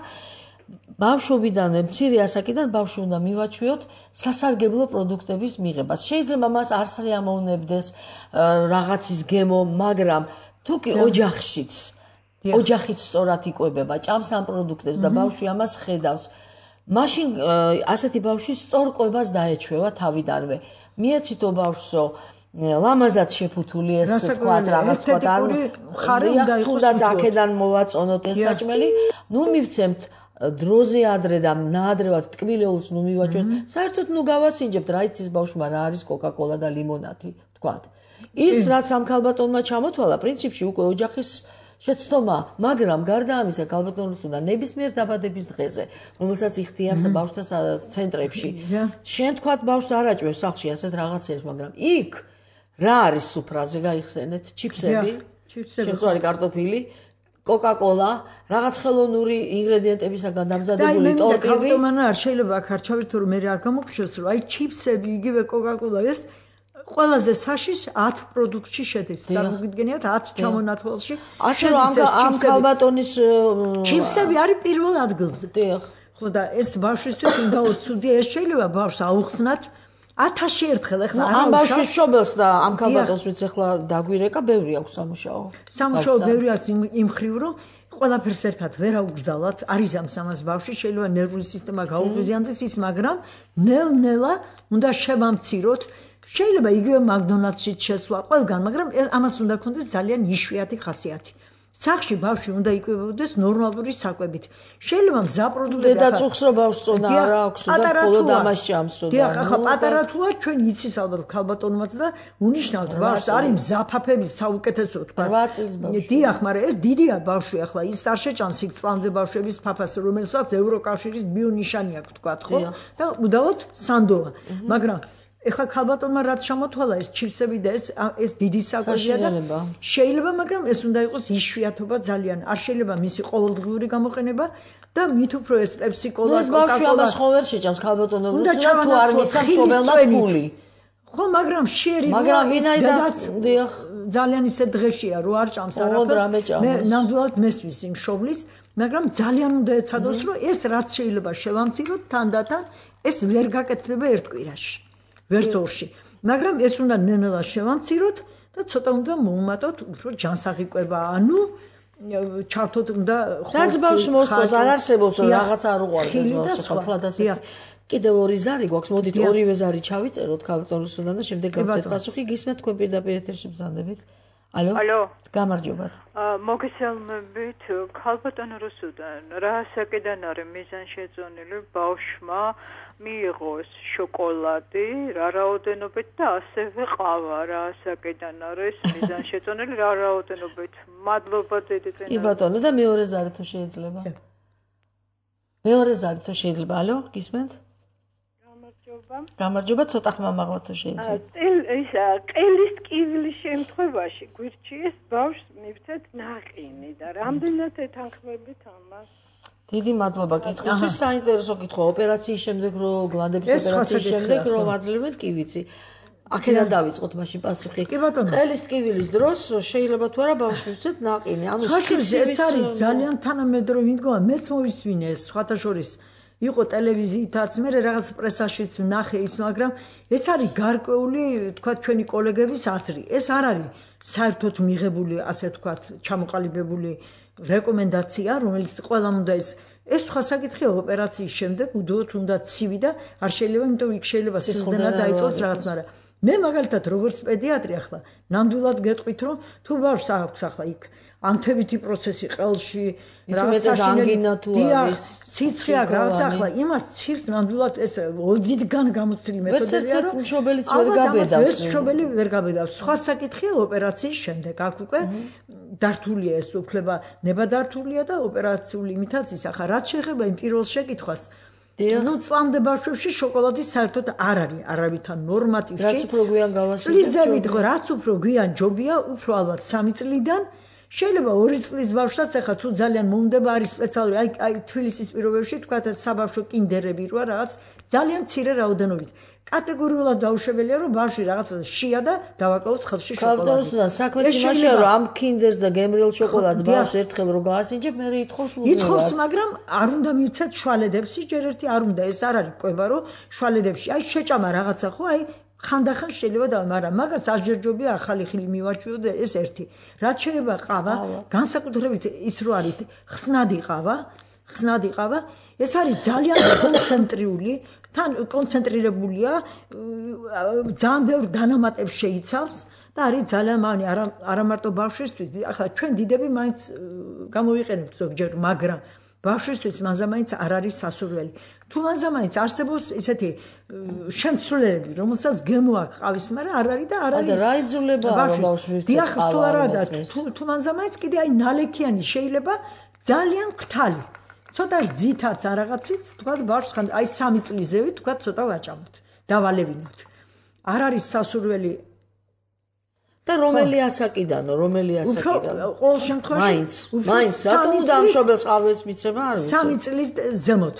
ბავშვობიდან მცირე ასაკიდან ბავშვი უნდა მივაჩვიოთ სასარგებლო პროდუქტების მიღებას. შეიძლება მას არ შეამოვნებდეს რაღაცის გემო, მაგრამ თუ კი ოჯახშიც, ოჯახიც სწორად იკვებება, ჭამს ამ პროდუქტებს და ბავშვი ამას ხედავს, მაშინ ასეთი ბავშვი სწორ კვებას დაეჩვევა თავიდანვე. მიეცითო ბავშვსო, ლამაზად შეფუთული ეს თქვა რაღაც თქვა არ ხარი უნდა იყოს, თუნდაც აქედან მოვაწონოთ ეს საჭმელი, ნუ მივცემთ დროზე ადრე და ნაადრევად ტკბილეულს ნუ მივაჩვენთ. საერთოდ ნუ გავასინჯებთ, რა იცის ბავშვმა რა არის კოკა-კოლა და ლიმონადი, თქვათ. ის რაც ამ ქალბატონმა ჩამოთვალა, პრინციპში უკვე ოჯახის შეცდომა, მაგრამ გარდა ამისა, ქალბატონს უნდა ნებისმიერ დაბადების დღეზე, რომელსაც იხდიებს ბავშვთა ცენტრებში. შენ თქვათ ბავშვს არ აჭვევს სახლში ასეთ რაღაცებს, მაგრამ იქ რა არის სუფრაზე გაიხსენეთ? ჩიფსები, შემწვარი კარტოფილი, კოკა-კოლა, რაღაც ხელოვნური ინგრედიენტებისაგან დამზადებული ტორტები. და ქალბატონმა არ შეიძლება აქ არჩევით, რომ მე არ გამოგხსნას, რომ აი ჩიფსები, იგივე კოკა-კოლა ეს ყველაზე საშიშ ათ პროდუქტში შედის. წარმოგიდგენიათ ათ ჩამონათვალში. ასე რომ ამ ქალბატონის ჩიფსები არის პირველ ადგილზე. დიახ. ხო და ეს ბავშვისთვის უნდა უცუდია, ეს შეიძლება ბავშვს აუხსნათ ათასში ერთხელ ახლა ამ ბავშვის შობელს და ამ ქალბატონს ვიც ახლა დაგვირეკა, ბევრი აქვს სამუშაო. სამუშაო ბევრი აქვს იმ ხრივ, რომ ყველაფერს ერთად ვერ აუგზავნათ, არის ამ სამას ბავშვი, შეიძლება ნერვული სისტემა გაუღიზიანდეს ის, მაგრამ ნელ-ნელა უნდა შევამციროთ. შეიძლება იგივე მაკდონალდსში შესვლა ყველგან, მაგრამ ამას უნდა ქონდეს ძალიან იშვიათი ხასიათი. სახლში ბავშვი უნდა იკვებებოდეს ნორმალური საკვებით. შეიძლება მზა პროდუქტები და წუხს რო ბავშვს წონა არ აქვს და მხოლოდ ამას ჭამსო. დიახ, ახლა პატარა თუა ჩვენ იცის ალბათ ქალბატონმაც და უნიშნავთ ბავშვს არის მზაფაფები საუკეთესო თქვა. რვა წლის ბავშვი. დიახ, მაგრამ ეს დიდია ბავშვი ახლა ის არ შეჭამს იქ წლამდე ბავშვების ფაფას, რომელსაც ევროკავშირის ბიონიშანი აქვს თქვა, ხო? და უდავოდ სანდოა. მაგრამ ეხლა ქალბატონმა რაც შემოთვალა ეს ჩიფსები და ეს ეს დიდი საკვებია და შეიძლება, მაგრამ ეს უნდა იყოს იშვიათობა ძალიან. არ შეიძლება მისი ყოველდღიური გამოყენება და მით უფრო ეს პეპსი-კოლა, კოკა-კოლა. ეს ბავშვი ამას ხო ვერ შეჭამს ქალბატონო, თუ არ მისცა მშობელმა ფული. ხო, მაგრამ შერი მაგრამ ვინაიდან ძალიან ისე დღეშია, რომ არ ჭამს არაფერს. მე ნამდვილად მესმის იმ შობლის, მაგრამ ძალიან უნდა ეცადოს, რომ ეს რაც შეიძლება შევამციროთ თანდათან, ეს ვერ გაკეთდება ერთ კვირაში. ვერც ორში. მაგრამ ეს უნდა ნელა შევამციროთ და ცოტა უნდა მოუმატოთ უფრო ჯანსაღი კვება, ანუ ჩავთოთ უნდა რაც ბავშვს მოსწონს, არ არსებობს რომ რაღაცა არ უყვარდეს ბავშვს, ხალხადასი. კიდევ ორი ზარი გვაქვს, მოდით ორივე ზარი ჩავიწეროთ ქალბატონისგან და შემდეგ გავცეთ პასუხი. გისმენთ თქვენ პირდაპირ ეთერში ბრძანდებით. ალო? ალო. გამარჯობათ. მოგესალმებით, ქალბატონო რუსუდან, რა საკიდან არის მიზანშეწონილი ბავშვმა მიიღოს შოკოლადი, რა რაოდენობით და ასევე ყავა, რა საკიდან არის მიზანშეწონილი, რა რაოდენობით. მადლობა დედიტენა. კი ბატონო და მეორე ზარი თუ შეიძლება. მეორე ზარი თუ შეიძლება, ალო, გისმენთ? გამარჯობა, ცოტა ხმა მაღლა თუ შეიძლება. ისა ყელის ტკივილის შემთხვევაში გვირჩიეს ბავშვს მივცეთ ნაყინი და რამდენად ეთანხმებით ამას? დიდი მადლობა კითხვისთვის. საინტერესო კითხვა ოპერაციის შემდეგ რო გლანდების ოპერაციის შემდეგ რო ვაძლევენ კი ვიცი. აქედან დავიწყოთ მაშინ პასუხი. კი ბატონო. ყელის ტკივილის დროს შეიძლება თუ არა ბავშვს მივცეთ ნაყინი. ანუ ეს არის ძალიან თანამედროვე მიდგომა. მეც მოვისმინე ეს სხვათა შორის იყო ტელევიზიითაც, მე რაღაც პრესაშიც ვნახე ის, მაგრამ ეს არის გარკვეული, თქვა ჩვენი კოლეგების აზრი. ეს არ არის საერთოდ მიღებული, ასე თქვა, ჩამოყალიბებული რეკომენდაცია, რომელიც ყველამ უნდა ეს ეს სხვა საკითხია ოპერაციის შემდეგ, უდოთ უნდა ცივი და არ შეიძლება, იმიტომ იქ შეიძლება სიზდენა დაიწყოს რაღაც, მაგრამ მე მაგალითად როგორც პედიატრი ახლა ნამდვილად გეტყვით რომ თუ ბავშვს აქვს ახლა იქ ანთებითი პროცესი ყელში რაღაც ანგინა თუ არის სიცხე აქვს რაღაც ახლა იმას ცირს ნამდვილად ეს ოდითგან გამოცდილი მეთოდებია რომ მშობელიც ვერ გაბედავს მშობელი ვერ გაბედავს სხვა საკითხია ოპერაციის შემდეგ აქ უკვე დართულია ეს უფლება ნებადართულია და ოპერაციული იმიტაციის ახლა რაც შეეხება იმ პირველ შეკითხვას ну წლამდე ბავშვებში შოკოლადი საერთოდ არ არის არავითარ ნორმატივში რაც უფრო გვიან გავასწრებთ წლისდებით რაც უფრო გვიან ჯობია უფრო ალბათ სამი წლიდან შეიძლება ორი წლის ბავშვსაც ახლა თუ ძალიან მომდება არის სპეციალური აი აი თბილისის პირობებში თქვათ საბავშვო კინდერები როა რაღაც ძალიან მცირე რაოდენობით კატეგორიულად დაუშვებელია რომ ბავშვი რაღაც შია და დავაკავოთ ხელში შოკოლადი. ბავშვთან საქმეც იმაშია რომ ამ კინდერს და გემრიელ შოკოლადს ბავშვს ერთხელ რო გაასინჯებ მე ითხოვს მუდმივად. ითხოვს მაგრამ არ უნდა მივცეთ შვალედებს ჯერ ერთი არ უნდა ეს არ არის ყვება რომ შვალედებში აი შეჭამა რაღაცა ხო აი ხანდახან შეიძლება და მაგრამ მაგას ასჯერჯობია ახალი ხილი მივაჩვიო და ეს ერთი. რაც შეიძლება ყავა განსაკუთრებით ის რო არის ხსნადი ყავა ხსნადი ყავა ეს არის ძალიან კონცენტრიული თან კონცენტრირებულია ძალიან ბევრ დანამატებს შეიცავს და არის ძალიან მანი არა არა მარტო ბავშვისთვის ახლა ჩვენ დიდები მაინც გამოვიყენებთ ზოგჯერ მაგრამ ბავშვისთვის მანზამაინც არ არის სასურველი თუ მანზამაინც არსებობს ესეთი შემცვლელები რომელსაც გემო აქვს ყავის მაგრამ არ არის და არ არის და რა იზოლება ბავშვის დიახ თუ არა და თუ მანზამაინც კიდე აი ნალექიანი შეიძლება ძალიან ქტალი ცოტა ძითაც არ რაღაცით თქვა ბავშვს ხან აი სამი წლისევით თქვა ცოტა ვაჭამოთ დავალევინოთ არ არის სასურველი და რომელი ასაკიდანო რომელი ასაკიდანო ყოველ შემთხვევაში მაინც მაინც რატომ უნდა ამ შობელს ყავეს მიცემა არ ვიცი სამი წლის ზემოთ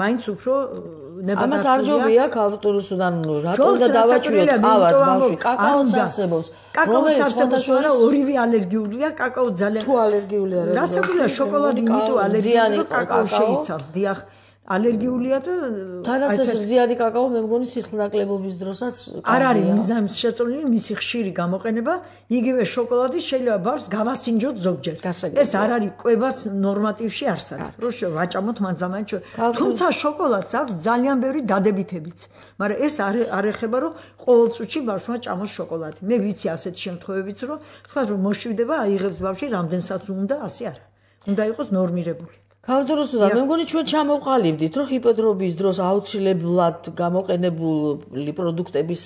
მაინც უფრო ნებადართულია ამას არ ჯობია ქალტურისუდან რატომ და დავაჭრიოთ ყავას ბავშვი კაკაოს არსებობს კაკაოს არსებობს არა ორივე ალერგიულია კაკაო ძალიან თუ ალერგიული არა რასაკურია შოკოლადი იმიტომ ალერგიული კაკაო შეიცავს დიახ ალერგიულია და თანაც ეს ზიანი კაკაო მე მგონი სისხლნაკლებობის დროსაც არ არის მიზანს შეწოლილი მისი ხშირი გამოყენება იგივე შოკოლადი შეიძლება ბავშვს გავასინჯოთ ზოგჯერ ეს არ არის კვებას ნორმატივში არ არის რო ვაჭამოთ მანძამაინც თუმცა შოკოლადს აქვს ძალიან ბევრი დადებითებიც მაგრამ ეს არ არ ეხება რომ ყოველ წუთში ბავშვმა ჭამოს შოკოლადი მე ვიცი ასეთ შემთხვევებიც რომ თქვა რომ მოშვიდება აიღებს ბავშვი რამდენსაც უნდა ასე არა უნდა იყოს ნორმირებული ქალტურისუდან მე მგონი ჩვენ ჩამოვყალიბდით რომ ჰიპოდრომის დროს აუცილებლად გამოყენებული პროდუქტების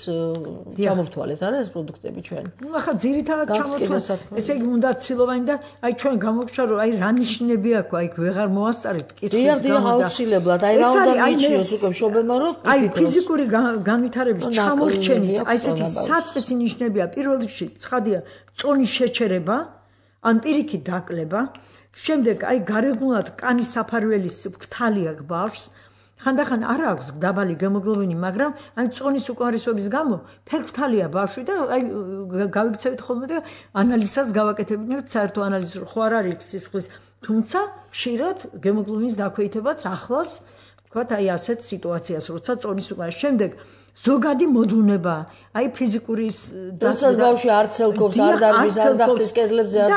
ჩამოვთვალეთ არა ეს პროდუქტები ჩვენ ნუ ახლა ძირითადად ჩამოვთვალეთ ესე იგი უნდა ცილოვანი და აი ჩვენ გამოგჩა რომ აი რა ნიშნები აქვს აი ვეღარ მოასწარეთ კითხვის გამო და აუცილებლად აი რა უნდა მიჩიოს უკვე შობელმა რომ აი ფიზიკური განვითარების ჩამორჩენის აი ესეთი საწყისი ნიშნებია პირველ რიგში ცხადია წონის შეჩერება ან პირიქით დაკლება შემდეგ აი გარეგნულად კანის საფარველის ქტალი აქვს ბავშვს ხანდახან არ აქვს დაბალი გემოგლობინი მაგრამ აი წონის უკმარისობის გამო ფერფრთალია ბავშვი და აი გავიქცევით ხოლმე და ანალიზსაც გავაკეთებინებთ საერთო ანალიზს ხო არ არის სისხლის თუმცა ხშირად გემოგლობინის დაქვეითებაც ახლავს თქვათ აი ასეთ სიტუაციას როცა წონის უკმარისობის შემდეგ ზოგადი მოდუნება აი ფიზიკური დაცვა ბავშვი არ ცელკობს არ დარბის არ დახტის კედლებზე არ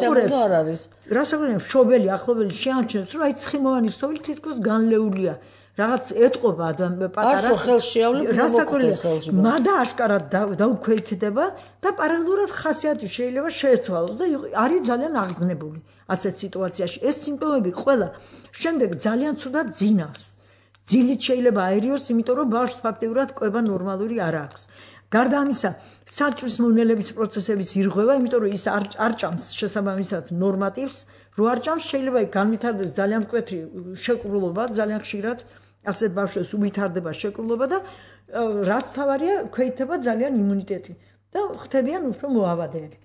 ძრება არ არის რასაკვირველია მშობელი ახლობელი შეამჩნევს რომ აი ცხიმოვანი ქსოვილი თითქოს განლეულია რაღაც ეტყობა პატარას არ ხელს შეავლებ რასაკვირველია მადა აშკარად დაუქვეითდება და პარალელურად ხასიათი შეიძლება შეეცვალოს და არის ძალიან აღზნებული ასეთ სიტუაციაში ეს სიმპტომები ყველა შემდეგ ძალიან ცუდად ძინავს ძილით შეიძლება აერიოს, იმიტომ რომ ბავშვს ფაქტიურად კვება ნორმალური არ აქვს. გარდა ამისა, საჭმლის მონელების პროცესების ირღვევა, იმიტომ რომ ის არ არ ჭამს შესაბამისად ნორმატივს, რო არ ჭამს შეიძლება განვითარდეს ძალიან მკვეთრი შეკრულობა, ძალიან ხშირად ასეთ ბავშვებს უვითარდება შეკრულობა და რაც თავარია, ქვეითება ძალიან იმუნიტეტი და ხდებიან უფრო მოავადეები.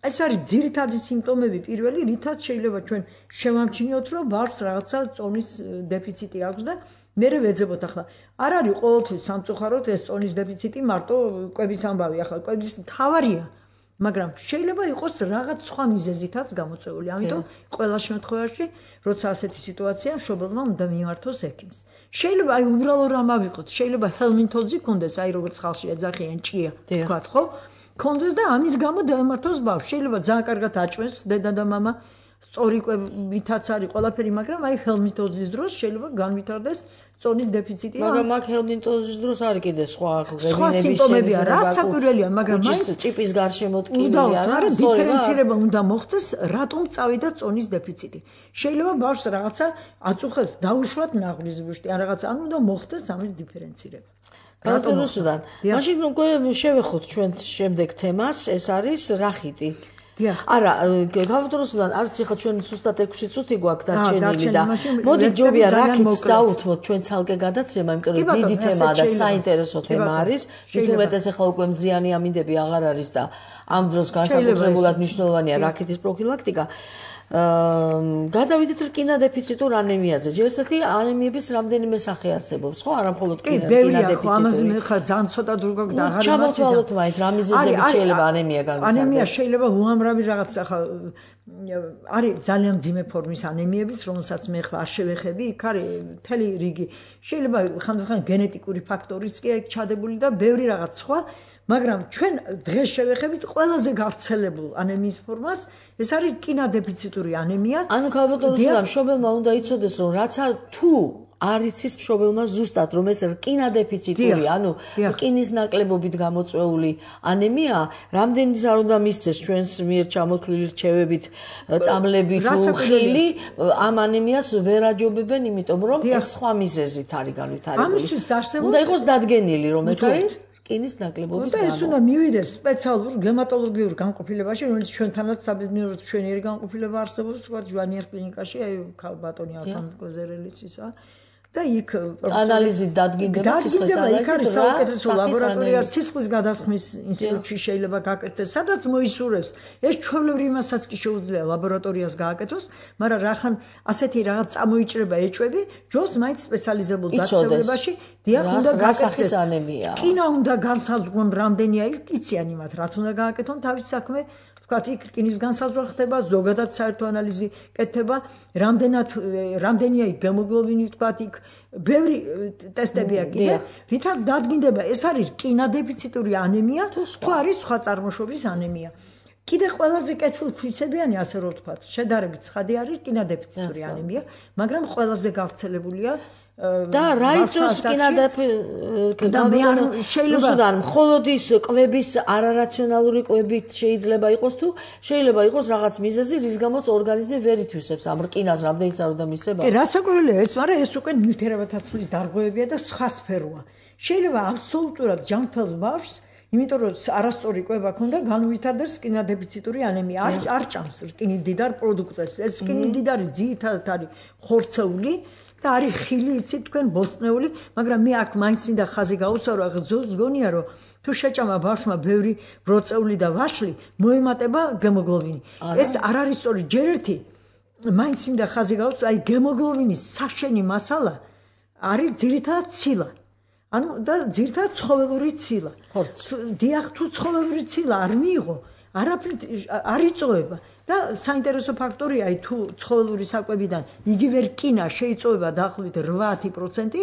ეს არის ძირითადი სიმპტომები პირველი, რითაც შეიძლება ჩვენ შევამჩნიოთ, რომ ბავშვს რაღაცა წონის დეფიციტი აქვს და მერე ვეძებოთ ახლა არ არის ყოველთვის სამწუხაროდ ეს წონის დეფიციტი მარტო კვების ამბავი ახლა კვების მთავარია მაგრამ შეიძლება იყოს რაღაც სხვა მიზეზითაც გამოწვეული ამიტომ ყველა შემთხვევაში როცა ასეთი სიტუაცია მშობელმა უნდა მიმართოს ექიმს შეიძლება აი უბრალო რამ ავიღოთ შეიძლება ჰელმინთოზი კონდეს აი როგორც ხალხში ეძახიან ჭია თქვათ ხო კონდეს და ამის გამო დაემართოს ბავშვი შეიძლება ძალიან კარგად აჭმევს დედა და მამა სწორი კვებითაც არის ყველაფერი, მაგრამ აი ჰელმინთოზის დროს შეიძლება განვითარდეს წონის დეფიციტი. მაგრამ მაგ ჰელმინთოზის დროს არის კიდე სხვა სხვა სიმპტომებია, რა საკვირველია, მაგრამ მაინც ჭიპის გარშემო ტკივილი არა, დიფერენცირება უნდა მოხდეს, რატომ წავიდა წონის დეფიციტი. შეიძლება ბავშვს რაღაცა აწუხებს, დაუშვათ ნაღლის ბუშტი, ან რაღაცა, ანუ უნდა მოხდეს ამის დიფერენცირება. რატომოსთან. მაშინ უკვე შევეხოთ ჩვენ შემდეგ თემას, ეს არის რახიტი. არა, გავდროსთან არც ახლა ჩვენ სუსტად ექვსი წუთი გვაქვს დარჩენილი და მოდი ჯობია რახიტს დაუთმოთ ჩვენ ცალკე გადაცემა, იმიტომ რომ დიდი თემაა და საინტერესო თემა არის. თუმეტეს ახლა უკვე მზიანი ამინდები აღარ არის და ამ დროს განსაკუთრებულად მნიშვნელოვანია რახიტის პროფილაქტიკა. გადავიდეთ რკინა დეფიციტურ ანემიაზე. ესეთი ანემიების რამდენიმე სახე არსებობს, ხო? არა მხოლოდ რკინა დეფიციტური. ამაზე მე ხა ძალიან ცოტა დრო გაქვს და აღარ იმას ჩამოთვალოთ მაინც რა მიზეზებით შეიძლება ანემია განვითარდეს. ანემია შეიძლება უამრავი რაღაც ახლა არის ძალიან მძიმე ფორმის ანემიებიც, რომელსაც მე ხა არ შევეხები, იქ არის მთელი რიგი. შეიძლება ხანდახან გენეტიკური ფაქტორიც კი აქ ჩადებული და ბევრი რაღაც სხვა. მაგრამ ჩვენ დღეს შევეხებით ყველაზე გავრცელებულ ანემიის ფორმას, ეს არის რკინა დეფიციტური ანემია. ანუ ქალბატონო, მშობელმა უნდა იცოდეს, რომ რაც არ თუ არ იცის მშობელმა ზუსტად, რომ ეს რკინა დეფიციტური, ანუ რკინის ნაკლებობით გამოწვეული ანემია, რამდენიც არ უნდა მისცეს ჩვენს მიერ ჩამოთვლილი რჩევებით, წამლებით, ხილი, ამ ანემიას ვერ აჯობებენ, იმიტომ რომ ეს სხვა მიზეზით არის განვითარებული. ამისთვის არსებობს უნდა იყოს დადგენილი, რომ ეს არის რკინის ნაკლებობის გამო. და ეს უნდა მივიდეს სპეციალურ გემატოლოგიურ განყოფილებაში, რომელიც ჩვენთანაც საბედნიეროდ ჩვენიერი განყოფილება არსებობს, თქვა ჯვანიერ კლინიკაში, აი ქალბატონი ალთან გოზერელის ისა. და იქ ანალიზით დადგინდება სისხლის ანალიზი. იქ არის საუკეთესო ლაბორატორია სისხლის გადასხმის ინსტიტუტში შეიძლება გაკეთდეს, სადაც მოისურვებს. ეს ჩვეულებრივ იმასაც კი შეუძლია ლაბორატორიას გააკეთოს, მაგრამ რახან ასეთი რაღაც წამოიჭრება ეჭვები, ჯობს მაინც სპეციალიზებულ დაწესებულებაში, დიახ, უნდა გასახის ანემია. რკინა უნდა განსაზღვრონ რამდენია, იციან იმათ, რაც უნდა გააკეთონ თავის საქმე. ვთქვათ, იქ რკინის განსაზღვრა ხდება, ზოგადად საერთო ანალიზი კეთდება, რამდენად რამდენია იქ გემოგლობინი, ვთქვათ, იქ ბევრი ტესტებია კიდე, რითაც დადგინდება, ეს არის რკინა დეფიციტური ანემია, თუ არის სხვა წარმოშობის ანემია. კიდე ყველაზე კეთილქვისებიანი, ასე რომ ვთქვათ, შედარებით ცხადი არის რკინა დეფიციტური ანემია, მაგრამ ყველაზე გავრცელებულია და რა იწვევს რკინა დეფიციტი და მე არ შეიძლება მხოლოდ ის კვების არარაციონალური კვებით შეიძლება იყოს თუ შეიძლება იყოს რაღაც მიზეზი, რის გამოც ორგანიზმი ვერ ითვისებს ამ რკინას, რამდენიც არ უნდა მისება. კი, რასაკვირველია ეს, მაგრამ ეს უკვე ნივთიერებათა ცვლის დარღვევებია და სხვა სფეროა. შეიძლება აბსოლუტურად ჯანმრთელს ბავშვს, იმიტომ რომ არასწორი კვება ქონდა, განვითარდეს რკინა დეფიციტური ანემია. არ არ ჭამს რკინით მდიდარ პროდუქტებს. ეს რკინით მდიდარი ძირითადად არის ხორცეული და არის ხილი, იცით თქვენ, ბოსტნეული, მაგრამ მე აქ მაინც მინდა ხაზი გაუსვარო, ზგონია რომ თუ შეჭამა ბავშვმა ბევრი ბროწეული და ვაშლი, მოემატება გემოგლობინი. ეს არ არის სწორი, ჯერ ერთი მაინც მინდა ხაზი გაუსვარო, აი გემოგლობინის საშენი მასალა არის ძირითადად ცილა. ანუ და ძირითადად ცხოველური ცილა. დიახ, თუ ცხოველური ცილა არ მიიღო, არაფრით არ იწოვება. და საინტერესო ფაქტორია, აი თუ ცხოველური საკვებიდან იგივე რკინა შეიწოვება დაახლოებით რვაათი პროცენტი,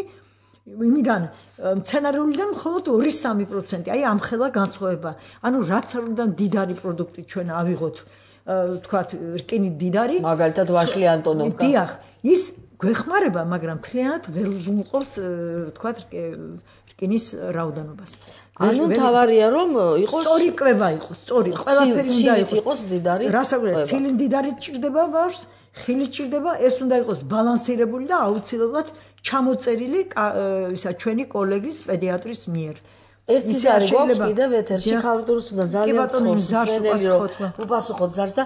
იმიდან მცენარეულიდან მხოლოდ ორი სამი პროცენტი, აი ამხელა განსხვავება. ანუ რაც არ უნდა მდიდარი პროდუქტი ჩვენ ავიღოთ, ვთქვათ, რკინით მდიდარი, მაგალითად ვაშლი ანტონოვკა. დიახ, ის გვეხმარება, მაგრამ მთლიანად ვერ უზრუნველყოფს, ვთქვათ, რკინის რაოდენობას. ანუ თავარია რომ იყოს სწორი კვება იყოს, სწორი, ყველაფერი უნდა იყოს მდიდარი. რასაკვირველია, ცილი მდიდარი ჭირდება ბავშვს, ხილი ჭირდება, ეს უნდა იყოს ბალანსირებული და აუცილებლად ჩამოწერილი ისა ჩვენი კოლეგის პედიატრის მიერ. ერთი ზარი გვაქვს კიდევ ეთერში, ხალხურს უნდა ძალიან ხოსმენელი რომ უპასუხოთ ზარს და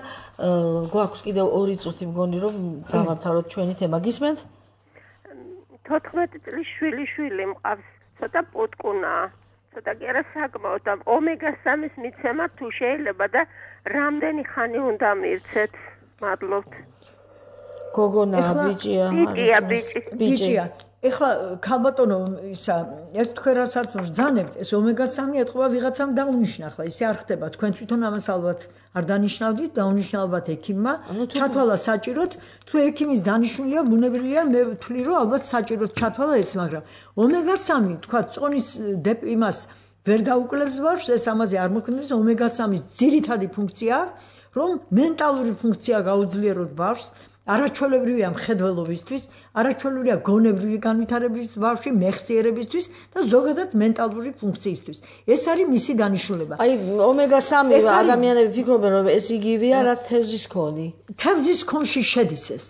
გვაქვს კიდევ ორი წუთი მგონი რომ დავამთავროთ ჩვენი თემა. გისმენთ? თოთხმეტი წლის შვილი შვილი მყავს, ცოტა პუტკუნაა. ცოტა კი არა საკმაოდ და ომეგა სამის მიცემა თუ შეიძლება და რამდენი ხანი უნდა მივცეთ? მადლობთ. გოგონა ბიჭია, ბიჭია, ბიჭი. ბიჭია. ეხლა ქალბატონო ისა ეს თქვენ რასაც ბრძანებთ, ეს ომეგა სამი ეთყობა ვიღაცამ დაუნიშნა, ხლა ისე არ ხდება. თქვენ თვითონ ამას ალბათ არ დანიშნავდით, დაუნიშნა ალბათ ექიმმა. ჩათვალა საჭიროთ, თუ ექიმის დანიშნულია, ბუნებრივია, მე ვთვლი რომ ალბათ საჭიროთ ჩათვალა ეს, მაგრამ ომეგა სამი, თქვა წონის იმას ვერ დაუკლებს ბავშვს, ეს ამაზე არ მოქმედებს. ომეგა სამის ძირითადი ფუნქცია რომ მენტალური ფუნქცია გაუძლიეროთ ბავშვს, არაჩვეულებრივია მხედველობისთვის, არაჩვეულებრივია გონებრივი განვითარების ბავშვი მეხსიერებისთვის და ზოგადად მენტალური ფუნქციისთვის. ეს არის მისი დანიშნულება. აი ომეგა სამი ადამიანები ფიქრობენ რომ ეს იგივეა რაც თევზის კონი. თევზის კონში შედის ეს.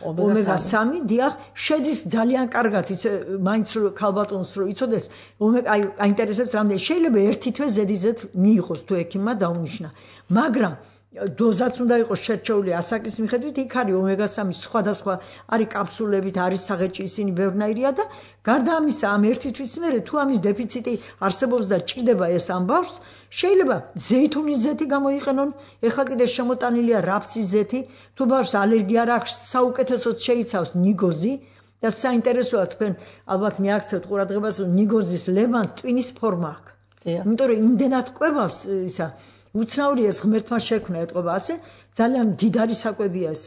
ომეგა სამი, დიახ, შედის ძალიან კარგად ის მაინც ქალბატონს რო იცოდეს, ომეგა აი აინტერესებს რამდენი შეიძლება ერთი თვე ზედიზედ მიიღოს თუ ექიმმა დაუნიშნა. მაგრამ დოზაც უნდა იყოს შერჩეული ასაკის მიხედვით, იქ არის ომეგა სამი სხვადასხვა არის კაფსულებით, არის საღეჭი, ისინი ბევრნაირია და გარდა ამისა ამ ერთი თვის მერე თუ ამის დეფიციტი არსებობს და ჭირდება ეს ამ ბავშვს, შეიძლება ზეითუნის ზეთი გამოიყენონ, ეხლა კიდე შემოტანილია რაფსის ზეთი, თუ ბავშვს ალერგია არ აქვს, საუკეთესოდ შეიცავს ნიგოზი და საინტერესოა თქვენ ალბათ მიაქცევთ ყურადღებას, რომ ნიგოზის ლევანს ტვინის ფორმა აქვს. იმიტომ რომ იმდენად კვებავს ისა უცნაური ეს ღმერთმა შექმნა ეტყობა ასე ძალიან დიდარი საკვებია ეს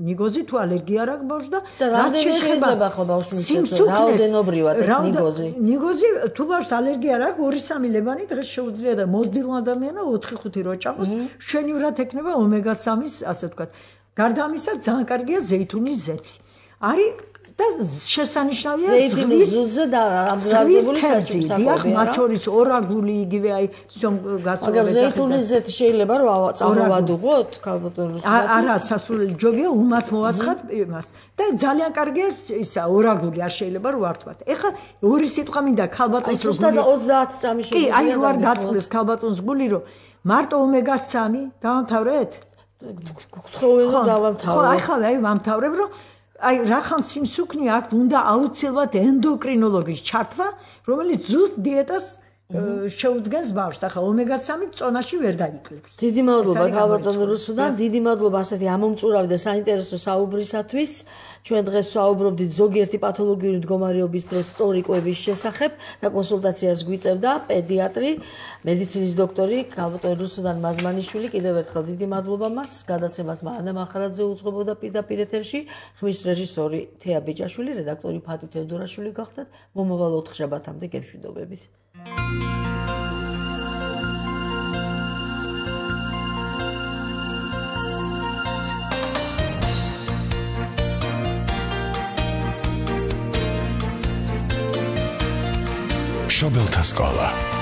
ნიგოზი თუ ალერგია არ აქვს ბავშვს და რაც შეიძლება ხო ბავშვს მიცეცო რაოდენობრივად ეს ნიგოზი ნიგოზი თუ ბავშვს ალერგია არ აქვს ორი სამი ლევანი დღეს შეუძლია და მოზრდილ ადამიანო ოთხი ხუთი რო ჭამოს მშვენივრად ექნება ომეგა სამის ასე ვთქვათ გარდა ამისა ძალიან კარგია ზეითუნის ზეთი არის და შესანიშნავია ზეითუნის ზუზე და ამზადებული სასწრაფო დიახ მათ შორის ორაგული იგივე აი გასწორებით მაგრამ ზეითუნის ზეთი შეიძლება რომ წამოვადუღოთ ქალბატონს არა სასურველი ჯობია უმათ მოვაცხად იმას და ძალიან კარგია ისა ორაგული არ შეიძლება რომ ვართვათ ეხლა ორი სიტყვა მინდა ქალბატონს რომ გული ოცდაათი წამი კი აი რო არ დაწყდეს ქალბატონს გული რომ მარტო ომეგა სამი დავამთავრეთ გქთხოვენ რომ დავამთავრებ ხო ახლა აი ვამთავრებ რომ აი რახან სიმსუქნე აქ უნდა აუცილებლად ენდოკრინოლოგის ჩართვა, რომელიც ზუსტ დიეტას შეუდგენს ბავშვს. ახლა ომეგა სამი წონაში ვერ დაიკლებს. დიდი მადლობა ქალბატონ რუსუდან, დიდი მადლობა ასეთი ამომწურავი და საინტერესო საუბრისათვის. ჩვენ დღეს საუბრობდით ზოგიერთი პათოლოგიური მდგომარეობის დროს სწორი კვების შესახებ და კონსულტაციას გვიწევდა პედიატრი, მედიცინის დოქტორი ქალბატონ რუსუდან მაზმანიშვილი. კიდევ ერთხელ დიდი მადლობა მას. გადაცემას მანა მახარაძე უძღვებოდა პირდაპირ ეთერში. ხმის რეჟისორი თეა ბიჭაშვილი, რედაქტორი ფათი თევდორაშვილი გახდათ. მომავალ ოთხშაბათამდე გემშვიდობებით. მშობელთა სკოლა